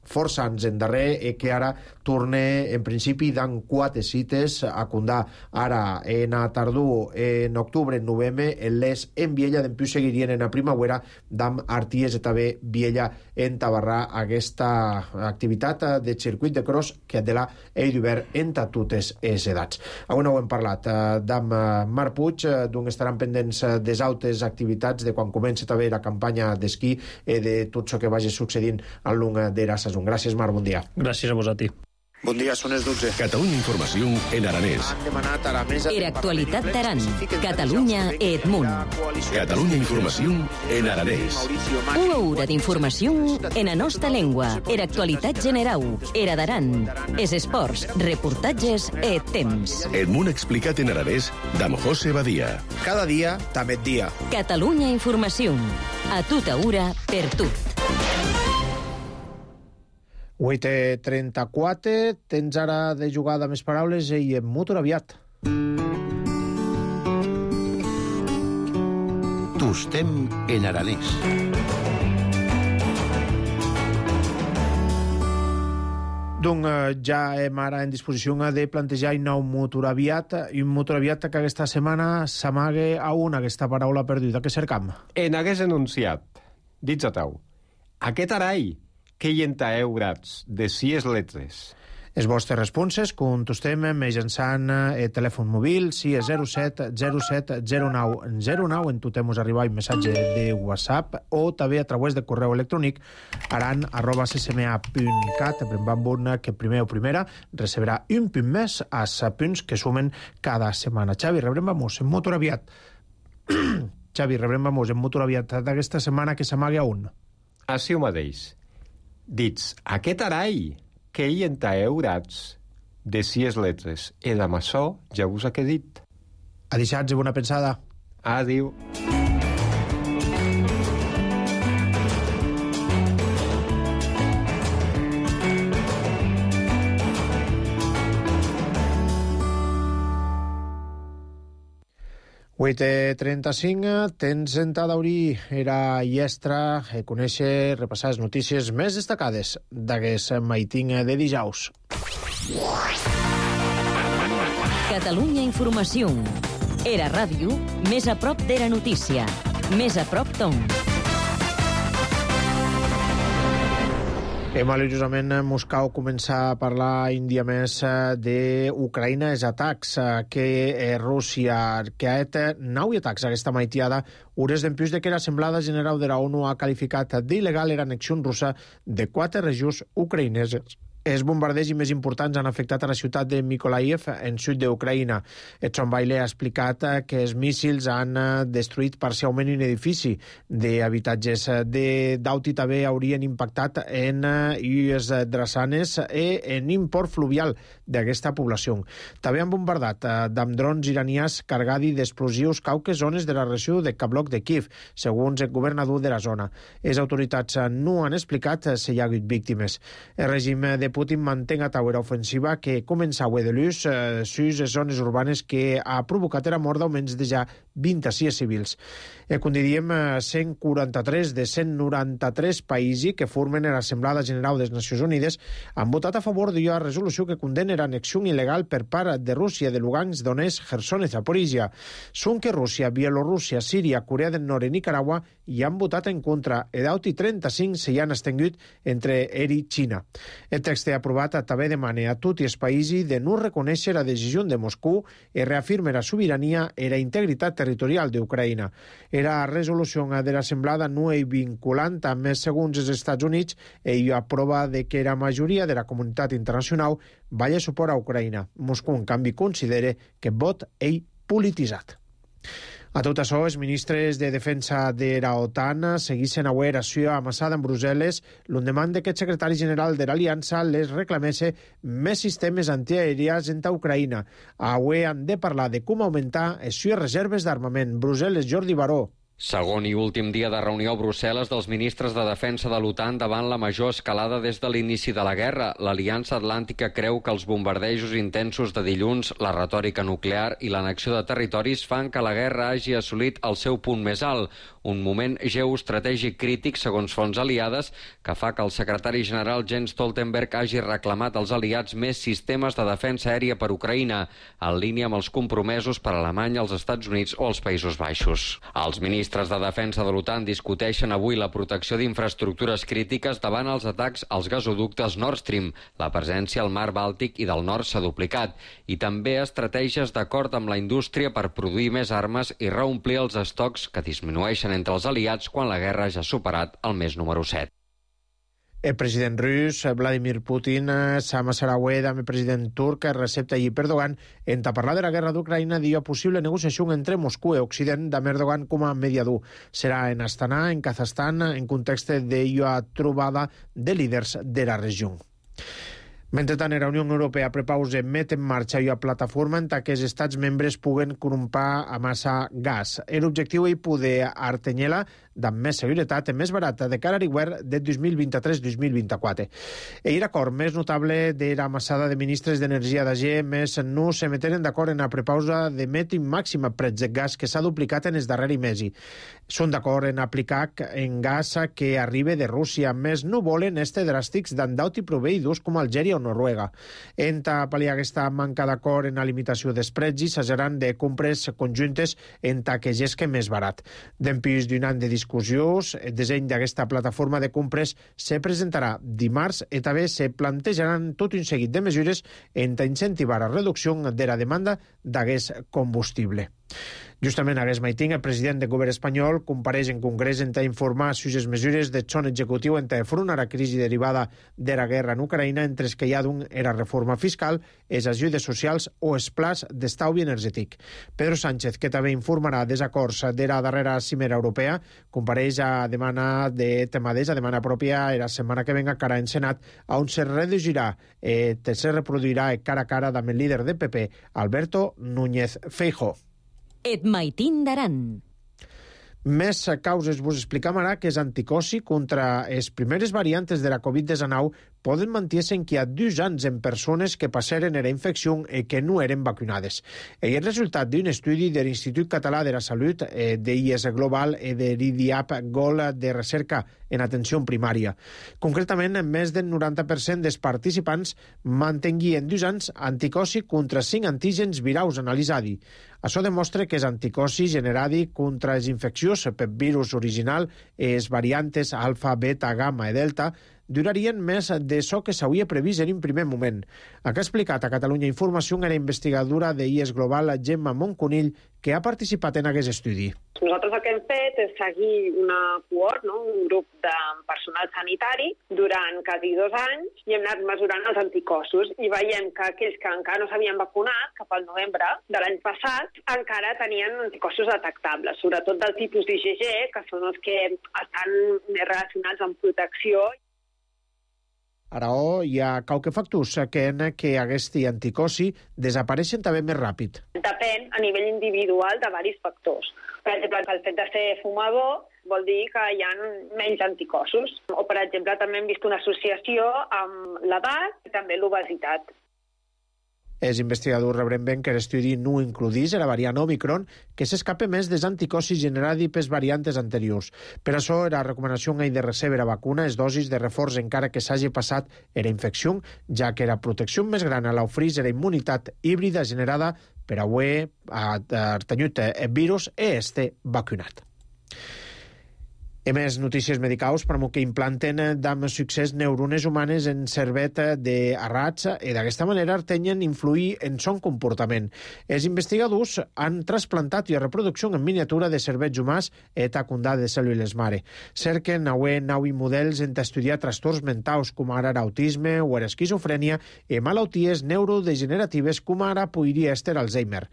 força anys endarrer i que ara torna en principi d'en 4 cites a Condà. Ara en a tardor, en octubre, en novembre, en les en Viella, d'empius seguirien en a primavera d'am Arties i també Viella en Tabarrà, aquesta activitat de circuit de cross que de la he d'obert entre totes les edats. Avui no ho hem parlat d'am Marc Puig, d'on estaran pendents des altres activitats de quan comença també la campanya d'esquí i de tot el que vagi succeint al long de la saison. Gràcies, Marc, bon dia. Gràcies a vosaltres. Bon dia, són les 12. Catalunya Informació en aranès. Han demanat a la mesa... Era actualitat d'Aran. Catalunya e Edmunt. Catalunya Informació en aranès. Una hora d'informació en la nostra llengua. Era actualitat general. Era d'Aran. Es esports, reportatges e temps. Edmunt explicat en aranès d'am José Badia. Cada dia, també dia. Catalunya Informació. A tota hora, per tot. 8:34, tens ara de jugada més paraules i en motor aviat. Tostem en aranès. Doncs ja hem ara en disposició de plantejar un nou motor aviat, i un motor aviat que aquesta setmana s'amague a aquesta paraula perduda que cercam. En hagués enunciat, dits a tau, aquest arall que hi entaeu grats de 6 letres. Les vostres responses contestem mitjançant el telèfon mòbil, si és 07 07 09 09, en totem us arribar un missatge de WhatsApp, o també a través de correu electrònic aran@ccma.cat, que primer o primera recebrà un punt més als punts que sumen cada setmana. Xavi, rebrem vamos en motor aviat. Xavi, rebrem vamos en motor aviat d'aquesta setmana que s'amaga a un. Així ho mateix. Dits, aquest arall que hi entaeu grats de 6 letres. I amb això ja us he dit. Adixats i bona pensada. Adéu. Huit 35, tens sentada a obrir era llestra, conèixer, repassar les notícies més destacades d'aquest maiting de dijous. Catalunya Informació. Era ràdio, més a prop d'Era Notícia. Més a prop d'on. Maliciosament, Moscou comença a parlar un dia més d'Ucraïna, els atacs que Rússia, que ha fet 9 atacs aquesta maitiada, hores d'empús de que l'Assemblada General de la ONU ha qualificat d'il·legal l'annexió russa de 4 regions ucraïneses. Els bombardejos més importants han afectat a la ciutat de Mykolaiv, en sud d'Ucraïna. Tsonbaile ha explicat que els míssils han destruït parcialment un edifici d'habitatges. Dauti també haurien impactat en les drassanes i en un port fluvial d'aquesta població. També han bombardat amb drons iranians cargats d'explosius cauques zones de la regió de Kavlok de Kiev, segons el governador de la zona. Les autoritats no han explicat si hi ha hagut víctimes. El règim de Putin manté a taula ofensiva que començava de l'ús sus zones urbanes que ha provocat la mort d'almenys de ja 26 civils. Com diem, 143 de 193 països que formen l'Assemblada General de les Nacions Unides han votat a favor d'una resolució que condena l'annexió il·legal per part de Rússia de Lugansk, Donetsk, Kherson i Zaporizhia. Són que Rússia, Bielorússia, Síria, Corea del Nord i Nicaragua hi han votat en contra. I d'alti 35 s'hi han extingut entre ell i Xina. El text aprovat també demana a tots els països de no reconèixer la decisió de Moscou i reafirma la sobirania i la integritat territorial d'Ucraïna. La resolució de l'Assemblada no és vinculant, també segons els Estats Units, i aprova que la majoria de la comunitat internacional vaya suport a Ucraïna. Moscou, en canvi, considera que el vot és polititzat. A tot això, els ministres de defensa de la OTAN segueixen avui l'acció amassada en Brussel·les l'endemà que el secretari general de l'Aliança les reclamés més sistemes antiaèries en Ucraïna. Avui han de parlar de com augmentar les seves reserves d'armament. Brussel·les, Jordi Baró. Segon i últim dia de reunió a Brussel·les dels ministres de defensa de l'OTAN davant la major escalada des de l'inici de la guerra. L'Aliança Atlàntica creu que els bombardejos intensos de dilluns, la retòrica nuclear i l'annexió de territoris fan que la guerra hagi assolit el seu punt més alt, un moment geoestratègic crític, segons fonts aliades, que fa que el secretari general Jens Stoltenberg hagi reclamat als aliats més sistemes de defensa aèria per Ucraïna, en línia amb els compromesos per Alemanya, els Estats Units o els Països Baixos. Els ministres de defensa de l'OTAN discuteixen avui la protecció d'infraestructures crítiques davant els atacs als gasoductes Nord Stream. La presència al mar Bàltic i del nord s'ha duplicat. I també estratègies d'acord amb la indústria per produir més armes i reomplir els estocs que disminueixen entre els aliats quan la guerra ja ha superat el mes número 7. El president rus, Vladimir Putin, s'amassarà avui amb el president turc, Recep Tayyip Erdogan, en parlar de la guerra d'Ucraïna d'una possible negociació entre Moscou i Occident amb Erdogan com a mediador. Serà en Astana, en Kazakhstan, en context d'una trobada de líders de la regió. Mentrestant, la Unió Europea prepausa met en marxa una plataforma en què els estats membres puguen comprar a massa gas. L'objectiu és poder artenyar-la amb més seguretat i més barata de cara a l'hivern de 2023-2024. L'acord més notable de la massada de ministres d'Energia d'AG més no se meteren d'acord en la prepausa de met màxima prets de gas que s'ha duplicat en els darrers mesos. Són d'acord en aplicar en gas que arriba de Rússia, més no volen este dràstics d'andauti proveïdors com Algèria o Noruega. En pal·liar aquesta manca d'acord en la limitació dels preus, s'hageran de compres conjuntes en que gesque més barat. Dempús d'un any de discussions, el disseny d'aquesta plataforma de compres se presentarà dimarts i també se plantejaran tot un seguit de mesures en incentivar la reducció de la demanda d'aquest combustible. Justament aquest matí, el president del govern espanyol compareix en Congrés en informar sobre les mesures del son executiu en enfrontar la crisi derivada de la guerra en Ucraïna, entre els que hi ha la reforma fiscal, les ajudes socials o els plans d'estalvi energètic. Pedro Sánchez, que també informarà desacords de la darrera cimera europea, compareix a demana de temades, a demana pròpia la setmana que venga cara en Senat, on se reduirà, se reproduirà cara a cara amb el líder del PP, Alberto Núñez Feijóo. Et maitin d'Aran. Més causes vos explicam ara que és anticossi contra les primeres variantes de la Covid-19 poden mantenir-se que hi ha 2 anys en persones que passaren la infecció i que no eren vacunades. És el resultat d'un estudi de l'Institut Català de la Salut, d'IS Global i de l'IDIAP GOL de recerca en atenció primària. Concretament, més del 90% dels participants mantenguien 2 anys anticossi contra 5 antígens viraus analitzats. Això demostra que els anticossis generats contra les infeccions per virus original i les variantes alfa, beta, gamma i delta durarien més d'això que s'havia previst en un primer moment. El que ha explicat a Catalunya Informació la investigadora de IS Global, Gemma Monconill, que ha participat en aquest estudi. Nosaltres el que hem fet és seguir una cohort, un grup de personal sanitari, durant quasi 2 anys i hem anat mesurant els anticossos i veiem que aquells que encara no s'havien vacunat, cap al novembre de l'any passat, encara tenien anticossos detectables, sobretot del tipus d'IgG, que són els que estan més relacionats amb protecció. Ara, hi ha qualque factors que aquest anticossi desapareixen també més ràpid. Depèn a nivell individual de diversos factors. Per exemple, el fet de ser fumador vol dir que hi ha menys anticossos. O, per exemple, també hem vist una associació amb l'edat i també l'obesitat. Els investigadors rebren ben que l'estudi no includís la variant Omicron, que s'escapa més dels anticossis generats per variantes anteriors. Per això, la recomanació és de rebre la vacuna és dosis de reforç encara que s'hagi passat la infecció, ja que la protecció més gran a l'ofereix la immunitat híbrida generada per haver tenit el virus i estar vacunat. I més notícies medicals per que implanten amb succés neurones humanes en cervet de rats i d'aquesta manera artenyen influir en son comportament. Els investigadors han trasplantat i reproducció en miniatura de cervets humans i tacundà de cèl·lules mare. Cerquen nou models en estudiar trastorns mentals com ara l'autisme o l'esquizofrènia i malalties neurodegeneratives com ara podria ser Alzheimer.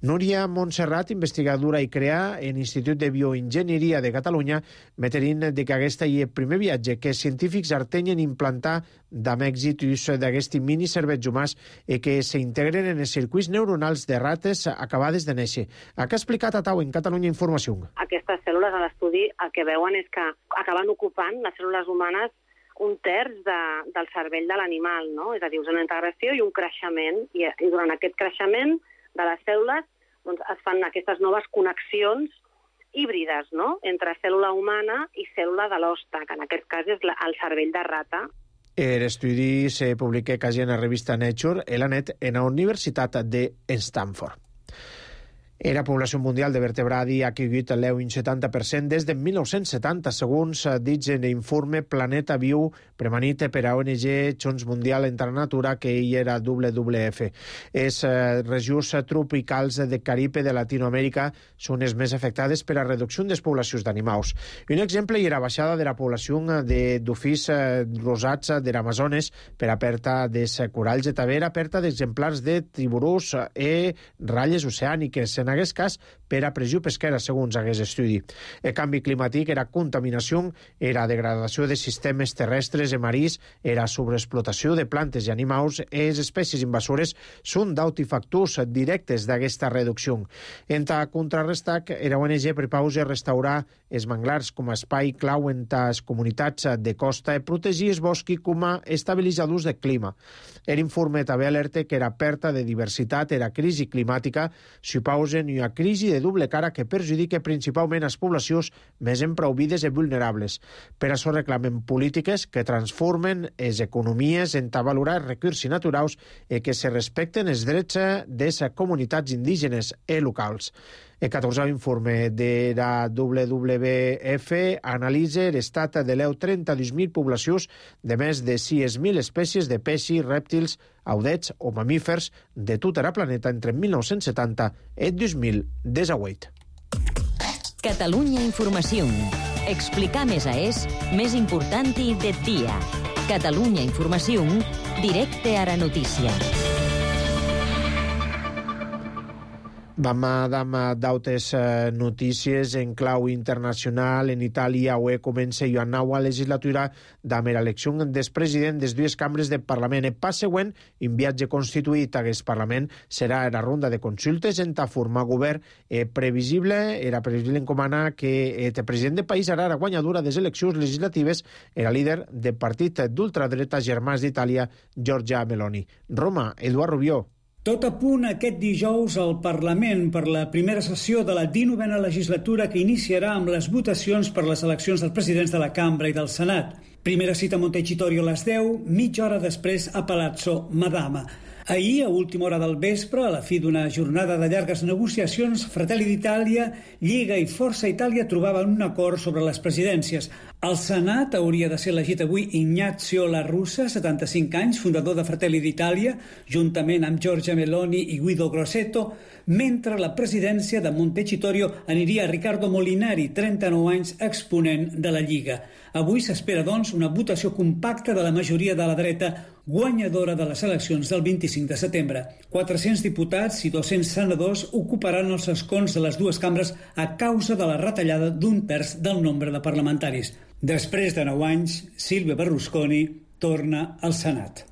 Núria Montserrat, investigadora i crea en l'Institut de Bioenginyeria de Catalunya, meterin de que aquesta és el primer viatge que els científics artenyen implantar amb èxit d'aquests mini cervets humans i que s'integren en els circuits neuronals de rates acabades de néixer. Ha explicat a Tau en Catalunya Informació. Aquestes cèl·lules a l'estudi el que veuen és que acaben ocupant les cèl·lules humanes 1/3 del cervell de l'animal, no? És a dir, una integració i un creixement, i durant aquest creixement de les cèl·lules doncs, es fan aquestes noves connexions híbrides, no?, entre cèl·lula humana i cèl·lula de l'hoste, que en aquest cas és el cervell de rata. L'estudi se publica quasi en la revista Nature i la net en la Universitat de Stanford. La població mundial de vertebradi ha caigut un 70% des de 1970, segons dit en l'informe Planeta Viu, premanit per a ONG Chons Mundial entre la Natura, que hi era WWF. Les regions tropicals de Caribe de Latinoamèrica són les més afectades per a reducció de les poblacions d'animals. Un exemple és la baixada de la població de dofins rosats de l'Amazones per a pèrdua dels coralls i també la pèrdua d'exemplars de tiburons i ratlles oceàniques. En aquest cas, per a pressió pesquera, segons aquest estudi. El canvi climàtic era contaminació, era degradació de sistemes terrestres i marins, era sobreexplotació de plantes i animals, i les espècies invasores són d'autofactors directes d'aquesta reducció. Entre contrarrestar, era ONG prepaus a restaurar els manglars com a espai clau en les comunitats de costa i protegir els boscs com a estabilitzadors de clima. L'informe també alerta que era perda de diversitat, era crisi climàtica, s'hi pausen una crisi de doble cara que perjudica principalment les poblacions més empreuvides i vulnerables. Per això reclamen polítiques que transformen les economies en valorar els recursos naturals i que se respecten els drets de les comunitats indígenes i locals. El 14è informe de la WWF analitza l'estat de les 32.000 poblacions de més de 6.000 espècies de peixos, rèptils, audets o mamífers de tot el planeta entre 1970 i 2018. Catalunya Informació. Explicar més més important del dia. Catalunya Informació, directe a la notícia. Vam d'altres notícies en clau internacional. En Itàlia comença una nova legislatura amb l'elecció del president de les dues cambres del Parlament. El pas següent, un viatge constituït a aquest Parlament, serà la ronda de consultes en formar govern. Era previsible encomanar que el president del país era la guanyadora de les eleccions legislatives, era líder del partit d'ultradreta Germans d'Itàlia, Giorgia Meloni. Roma, Eduard Rubió. Tot a punt aquest dijous al Parlament per la primera sessió de la 19a legislatura que iniciarà amb les votacions per les eleccions dels presidents de la Cambra i del Senat. Primera cita a Montecitorio a les 10, mitja hora després a Palazzo Madama. Ahir, a última hora del vespre, a la fi d'una jornada de llargues negociacions, Fratelli d'Itàlia, Lliga i Força Itàlia trobaven un acord sobre les presidències. Al Senat hauria de ser elegit avui Ignazio La Russa, 75 anys, fundador de Fratelli d'Itàlia, juntament amb Giorgia Meloni i Guido Grosseto, mentre la presidència de Montecitorio aniria a Riccardo Molinari, 39 anys, exponent de la Lliga. Avui s'espera, doncs, una votació compacta de la majoria de la dreta guanyadora de les eleccions del 25 de setembre. 400 diputats i 200 senadors ocuparan els escons de les dues cambres a causa de la retallada d'un terç del nombre de parlamentaris. Després de 9 anys, Silvio Berlusconi torna al Senat.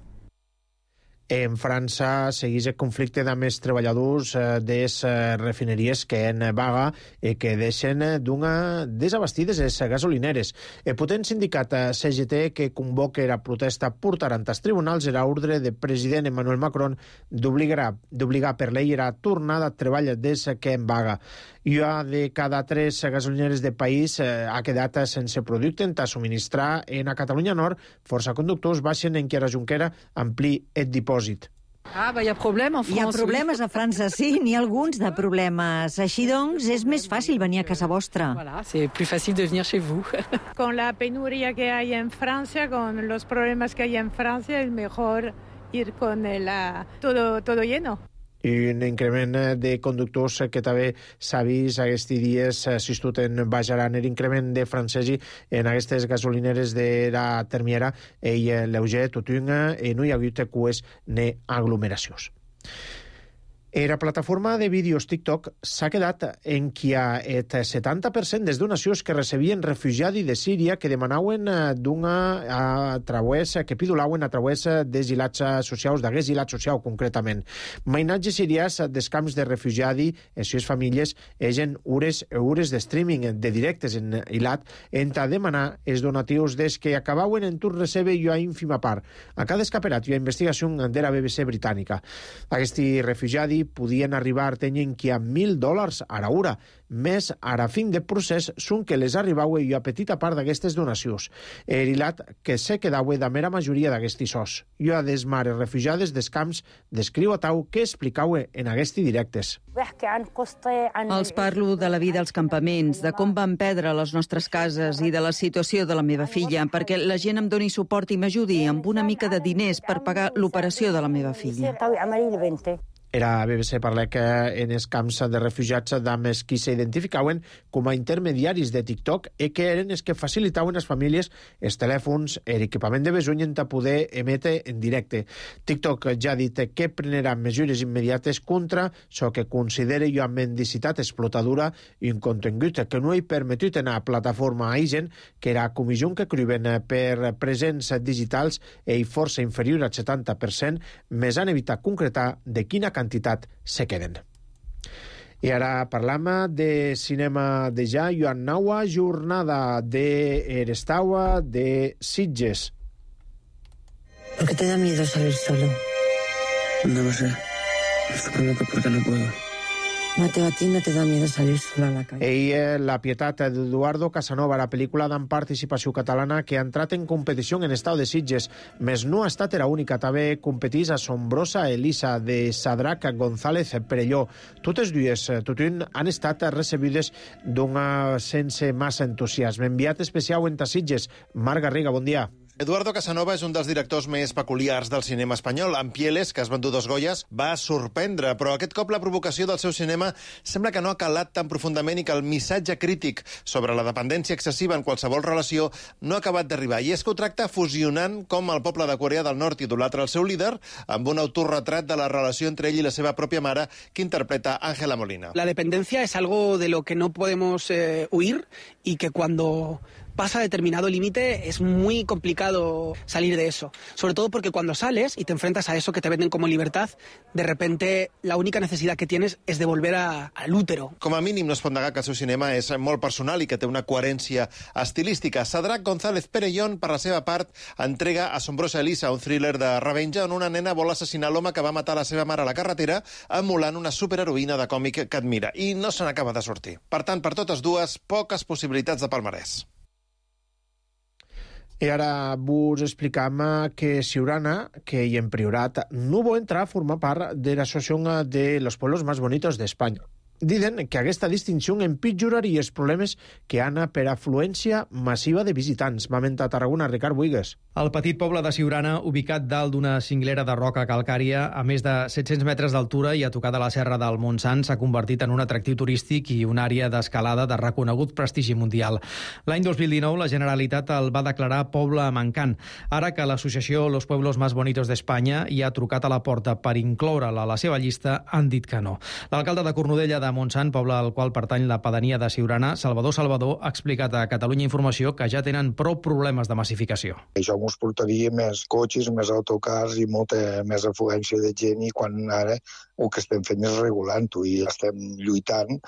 En França segueix el conflicte amb els treballadors de les refineries que en vaga i que deixen desabastides les gasolineres. El potent sindicat CGT que convoca la protesta portarà als tribunals l'ordre del president Emmanuel Macron d'obligar per llei la tornada a treball des que en vaga. Una de cada 3 gasolineres del país ha quedat sense producte a subministrar. En a Catalunya Nord, força conductors baixen en què la Junquera ampli el dipòsit. Hi ha problemes a França, sí, n'hi ha alguns de problemes. Així doncs, és més fàcil venir a casa vostra. C'est plus facile de venir chez vous. Con la penuria que hay en Francia, con los problemas que hay en Francia, es mejor ir con todo lleno. I un increment de conductors que també s'ha vist aquests dies, assistit en Baix Aran, l'increment de francesi en aquestes gasolineres de la termiera i lleuger, tot no hi ha hagut cues ni aglomeracions. La plataforma de vídeos TikTok s'ha quedat en qui el 70% des donacions que recebien refugiats de Síria que demanaven que pidolauen a través dels ilats socials, d'aquests ilats socials concretament. Mainatges sirians dels camps de refugiats i les seves famílies egen hores de streaming de directes en ilat a demanar els donatius des que acabaven en tur recebe i a ínfima part. A cada escaperat hi ha investigació de la BBC britànica. Aquests refugiats podien arribar a tenir que a $1.000 a l'hora, més a la fin del procés són que les arribava i a petita part d'aquestes donacions. L'hilat que se quedava de mera majoria d'aquests sos. I a des mares refugiades dels camps descriu a Tau que explicava en aquests directes. Els parlo de la vida als campaments, de com van perdre les nostres cases i de la situació de la meva filla, perquè la gent em doni suport i m'ajudi amb una mica de diners per pagar l'operació de la meva filla. Era BBC parla que en els camps de refugiats d'homes qui s'identificaven com a intermediaris de TikTok i que eren els que facilitaven les famílies els telèfons i l'equipament de besuny per poder emetre en directe. TikTok ja ha dit que prenarà mesures immediates contra això que considera una mendicitat explotadora i un contingut que no hi permetut en la plataforma a gent que era comissió que criuen per presents digitals i força inferior al 70%, més han evitat concretar de quina quantitat se queden. I ara parlam de cinema de ja i una nova jornada d'Erestaua de Sitges. ¿Por qué te da miedo salir solo? No lo sé. Supongo que porque no puedo. Mateo, a ti no te da miedo salir solo a la calle. La pietat d'Eduardo Casanova, la pel·lícula d'en participació catalana que ha entrat en competició en Estau de Sitges, més no ha estat la única. També competís Assombrosa Elisa, de Sadrac González Perelló. Totes dues, han estat recebides sense massa entusiasme. Enviat especial en Sitges, Marc Garriga, bon dia. Eduardo Casanova és un dels directors més peculiars del cinema espanyol. En Pieles, que has venut 2 Goyes, va sorprendre, però aquest cop la provocació del seu cinema sembla que no ha calat tan profundament i que el missatge crític sobre la dependència excessiva en qualsevol relació no ha acabat d'arribar. I és que ho tracta fusionant com el poble de Corea del Nord idolatra el seu líder amb un autorretrat de la relació entre ell i la seva pròpia mare que interpreta Ángela Molina. La dependencia es algo de lo que no podemos huir y que cuando pasa determinado límite es muy complicado salir de eso. Sobre todo porque cuando sales y te enfrentas a eso que te venden como libertad, de repente la única necesidad que tienes es de volver al útero. Com a mínim no es pot negar que el seu cinema és molt personal i que té una coherència estilística. Sadrac González Perellón, per la seva part, entrega Assombrosa Elisa, un thriller de revenja on una nena vol assassinar l'home que va matar la seva mare a la carretera emulant una superheroïna de còmic que admira. I no se n'acaba de sortir. Per tant, per totes dues, poques possibilitats de palmarès. I ara vos explicam que Siurana, que hi en Priorat, no vol entrar a formar part de l'Associació de los Pueblos Más Bonitos d'Espanya. Diuen que aquesta distinció empitjoraria els problemes que han per afluència massiva de visitants. Va mentar a Tarragona, Ricard Buigues. El petit poble de Siurana, ubicat dalt d'una cinglera de roca calcària a més de 700 metres d'altura i a tocar de la serra del Montsant, s'ha convertit en un atractiu turístic i una àrea d'escalada de reconegut prestigi mundial. L'any 2019 la Generalitat el va declarar poble mancant. Ara que l'associació Los Pueblos Más Bonitos d'Espanya hi ha trucat a la porta per incloure'l a la seva llista, han dit que no. L'alcalde de Cornudella de Montsant, poble al qual pertany la pedania de Siurana, Salvador Salvador, ha explicat a Catalunya Informació que ja tenen prou problemes de massificació. Això ens portaria més cotxes, més autocars i molta més afluència de gent, i quan ara el que estem fent és regulant-ho i estem lluitant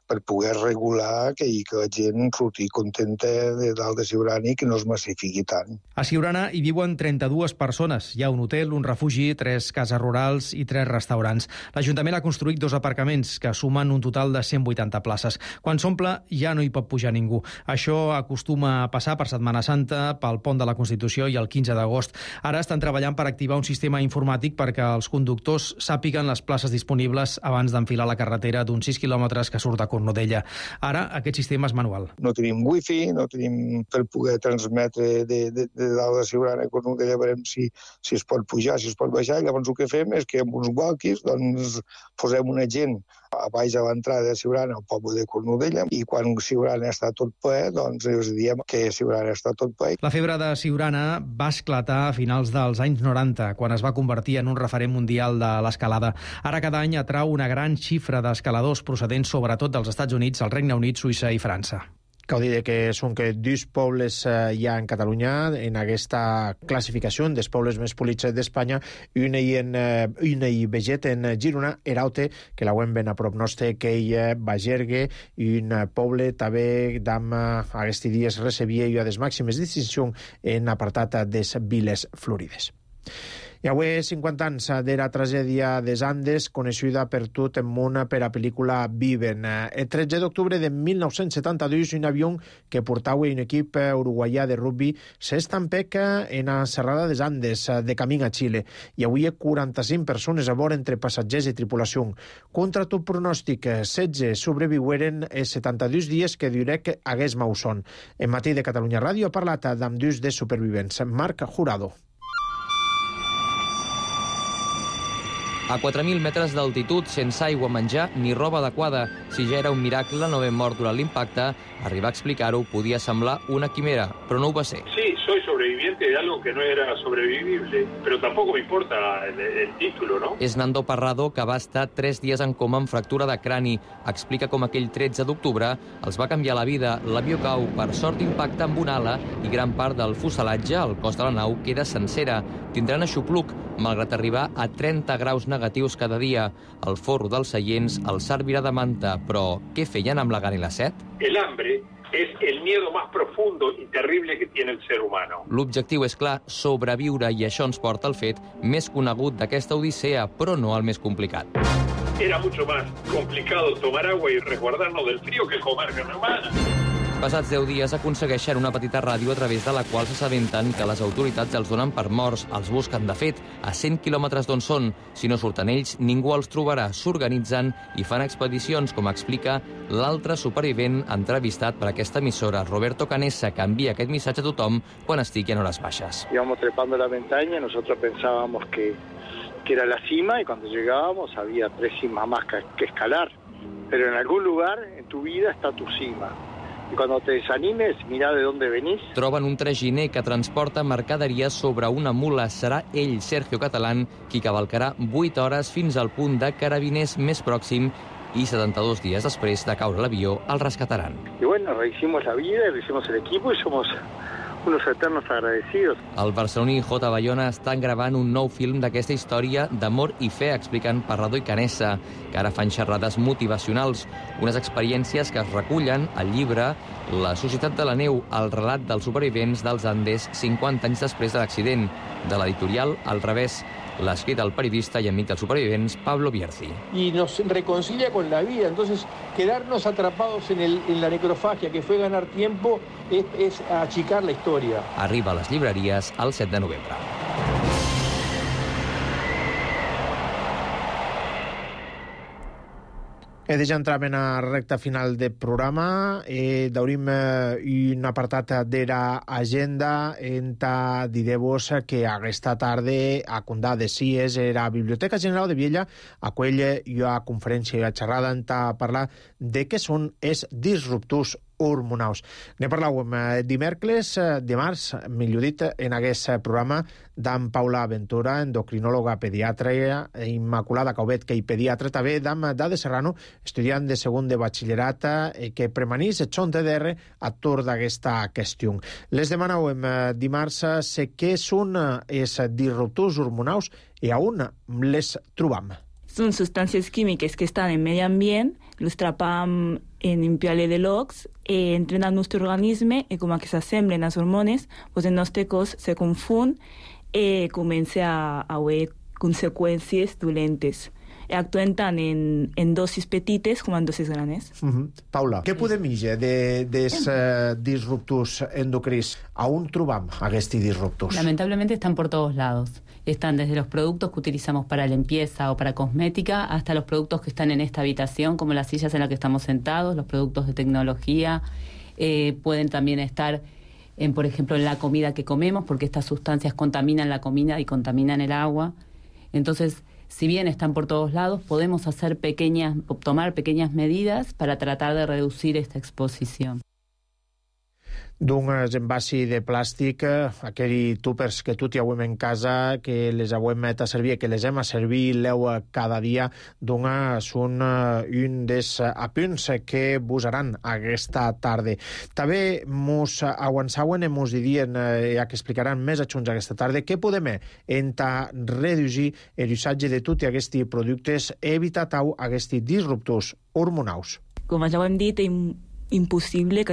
per poder regular que la gent surti contenta de dalt de Siurana i que no es massifiqui tant. A Siurana hi viuen 32 persones. Hi ha un hotel, un refugi, 3 cases rurals i 3 restaurants. L'Ajuntament ha construït 2 aparcaments que sumen un total de 180 places. Quan s'omple ja no hi pot pujar ningú. Això acostuma a passar per Setmana Santa, pel Pont de la Constitució i el 15 d'agost. Ara estan treballant per activar un sistema informàtic perquè els conductors sàpiguen les places disponibles abans d'enfilar la carretera d'uns 6 quilòmetres que surt de Cornudella. Ara aquest sistema és manual. No tenim wifi, no tenim per poder transmetre de dalt de Siurana a Cornudella, veurem si es pot pujar, si es pot baixar, i llavors el que fem és que amb uns walkies posem una gent a baix a l'entrada de Siurana, al poble de Cornudella, i quan Siurana està tot ple, els diem que Siurana està tot ple. La febre de Siurana va esclatar a finals dels anys 90, quan es va convertir en un referent mundial de l'escalada. Ara cada any atrau una gran xifra d'escaladors procedents sobretot dels Estats Units, el Regne Unit, Suïssa i França. Cal dir que són que 2 pobles hi ha en Catalunya en aquesta classificació dels pobles més polits d'Espanya, i una hi veget en Girona, Eraute, que la veiem ben a prop nostre, que hi ha Bagergue, i un poble també d'am aquests dies recebia i a les màximes distincions en apartat des Viles Florides. I avui 50 anys de la tragèdia des Andes, coneguda per tot el món per la pel·lícula Viven. El 13 d'octubre de 1972, un avió que portava un equip uruguaià de rugby s'estampec en la serrada des Andes, de camí a Xile. I avui 45 persones a bord entre passatgers i tripulació. Contra tot pronòstic, 16 sobreviueren els 72 dies que Durec hagués Mausson. En Matí de Catalunya Ràdio ha parlat amb 2 de supervivents. Marc Jurado. A 4.000 metres d'altitud, sense aigua, menjar ni roba adequada. Si ja era un miracle no haver mort durant l'impacte, arribar a explicar-ho podia semblar una quimera, però no ho va ser. Sí, soy sobreviviente de algo que no era sobrevivible, pero tampoco me importa el título, ¿no? És Nando Parrado, que va estar 3 dies en coma amb fractura de crani. Explica com aquell 13 d'octubre els va canviar la vida. L'avió cau, per sort impacta amb una ala i gran part del fuselatge, el cos de la nau, queda sencera. Tindran aixopluc, malgrat arribar a 30 graus negatius cada dia. El forro dels seients el servirà de manta, però què feien amb la gana i la set? El hambre es el miedo más profundo y terrible que tiene el ser humano. L'objectiu és clar, sobreviure, i això ens porta al fet més conegut d'aquesta odissea, però no el més complicat. Era mucho más complicado tomar agua y resguardarnos del frío que comer carne humana. Passats 10 dies aconsegueixen una petita ràdio a través de la qual s'assabenten que les autoritats els donen per morts. Els busquen, de fet, a 100 quilòmetres d'on són. Si no surten ells, ningú els trobarà. S'organitzen i fan expedicions, com explica l'altre supervivent entrevistat per aquesta emissora, Roberto Canessa, que envia aquest missatge a tothom quan estigui en hores baixes. Íbamos trepando la montaña, nosotros pensábamos que era la cima, y cuando llegábamos había 3 cimas más que escalar. Pero en algún lugar en tu vida está tu cima. I quan te desanimes, mira de dónde venís. Troben un traginer que transporta mercaderies sobre una mula. Serà ell, Sergio Catalán, qui cavalcarà 8 hores fins al punt de Carabiners més pròxim i 72 dies després de caure l'avió el rescataran. Y bueno, rehicimos la vida, rehicimos el equipo y somos unos eternos agradecidos. El barceloní J. Bayona estan gravant un nou film d'aquesta història d'amor i fe, expliquen Parrado i Canessa, que ara fan xerrades motivacionals, unes experiències que es recullen al llibre La societat de la neu, el relat dels supervivents dels Andes 50 anys després de l'accident, de l'editorial Al revés. L'ha escrit el periodista i amic dels supervivents, Pablo Bierzi. Y nos reconcilia con la vida, entonces quedarnos atrapados en la necrofagia, que fue ganar tiempo, es achicar la historia. Arriba a les llibreries el 7 de novembre. Ja entrem en la recta final del programa. Daurim un apartat de l'agenda enta diré-vos que aquesta tarda a Condà de Cies la Biblioteca General de Viella acull una conferència i una xerrada enta parlar de què són els disruptors hormonals. Ne parlàvem dimarts, millor dit, en aquest programa d'en Paula Ventura, endocrinòloga pediatra, Immaculada Caubet, i pediatra, també d'en Dade Serrano, estudiant de segon de batxillerat, que premanís el TDR a tour d'aquesta qüestió. Les demanàvem dimarts què són els disruptors hormonals i on les trobam. Son sustancias químicas que están en el medio ambiente, los atrapamos en un piale de logs, entran a nuestro organismo y como que se asemblen las hormonas, pues en nuestro cos se confunden y comienzan a haber consecuencias dolentes. Actúen tant en dosis petites com en dosis grandes. Paula, què podem dir dels disruptors endocrins? A on trobam aquests disruptors? Lamentablemente están por todos lados. Están desde los productos que utilizamos para limpieza o para cosmética hasta los productos que están en esta habitación, como las sillas en las que estamos sentados, los productos de tecnología. Pueden también estar, por ejemplo, en la comida que comemos, porque estas sustancias contaminan la comida y contaminan el agua. Entonces, si bien están por todos lados, podemos tomar pequeñas medidas para tratar de reducir esta exposición. D'uns envasos de plàstic, aquells túpers que tot hi hauem en casa, que les hauem a servir, que les hem a servir cada dia, són un dels apunts que usaran aquesta tarda. També mos avançaven i mos dirien, ja que explicaran més adjunts aquesta tarda, què podem reduir l'usatge de tots aquests productes, evitar aquests disruptors hormonals. Com ja ho hem dit, impossible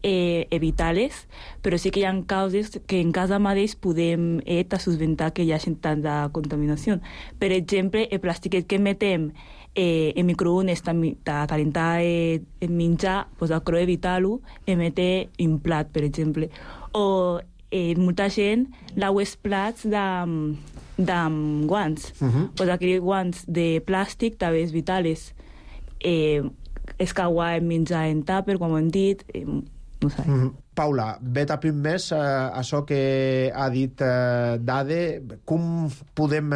evitar-les, però sí que hi ha causes que en casa mateix podem susventar que hi hagi tanta contaminació. Per exemple, el plàstic que metem en microones per calentar el menjar, cal evitar-lo i metre en plat, per exemple. O molta gent lava els plats amb guants. Aquells guants de plàstic també és vitals. Escauar el menjar en tàper, com hem dit, no sé. Paula, vet a punt més això que ha dit Dade, com podem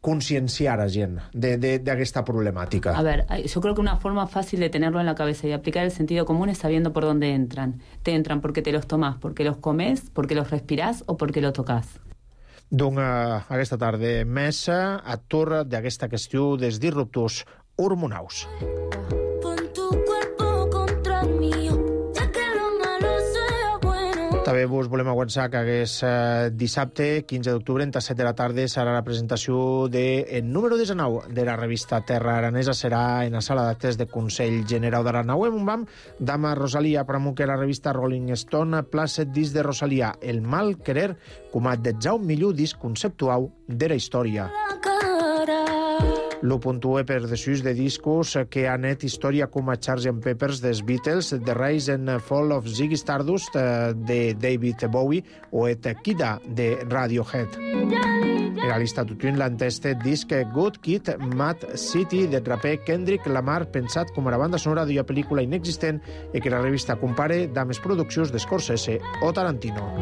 concienciar a gent d'aquesta problemàtica? A ver, yo creo que una forma fácil de tenerlo en la cabeza y aplicar el sentido común es sabiendo por dónde entran. Te entran porque te los tomás, porque los comes, porque los respirás o porque lo tocas. Doncs aquesta tarda més atur d'aquesta qüestió dels disruptors hormonals. També vos volem avançar que dissabte, 15 d'octubre, a 7 de la tarda, serà la presentació del número 19 de la revista Terra Aranesa. Serà en la sala d'actes de Consell Generau d'Aranau. En un bam, dama Rosalia Pramuque, la revista Rolling Stone, placet disc de Rosalia, El mal querer, com a 10 millor disc conceptual de la història. Lo puntue per desús de discos que han net història com a Sgt. Pepper's dels Beatles, The Rise and Fall of Ziggy Stardust de David Bowie o et Kida de Radiohead. Era l'Istatutun l'enteste disc Good Kid, Mad City de raper Kendrick Lamar, pensat com a la banda sonora d'una pel·lícula inexistent i que la revista compare amb les produccions de Scorsese o Tarantino.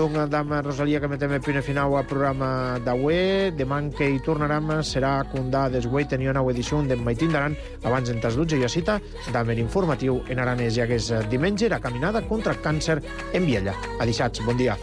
Doncs, dama Rosalia, que metem el primer final al programa d'avui. Demà que hi tornarem serà Condà d'Esguei, tenia una edició d'en Maitín d'Aran abans en tas 12 i a cita d'Amer Informatiu en aranès, ja que és diumenge la caminada contra el càncer en Viella. Adixats, bon dia.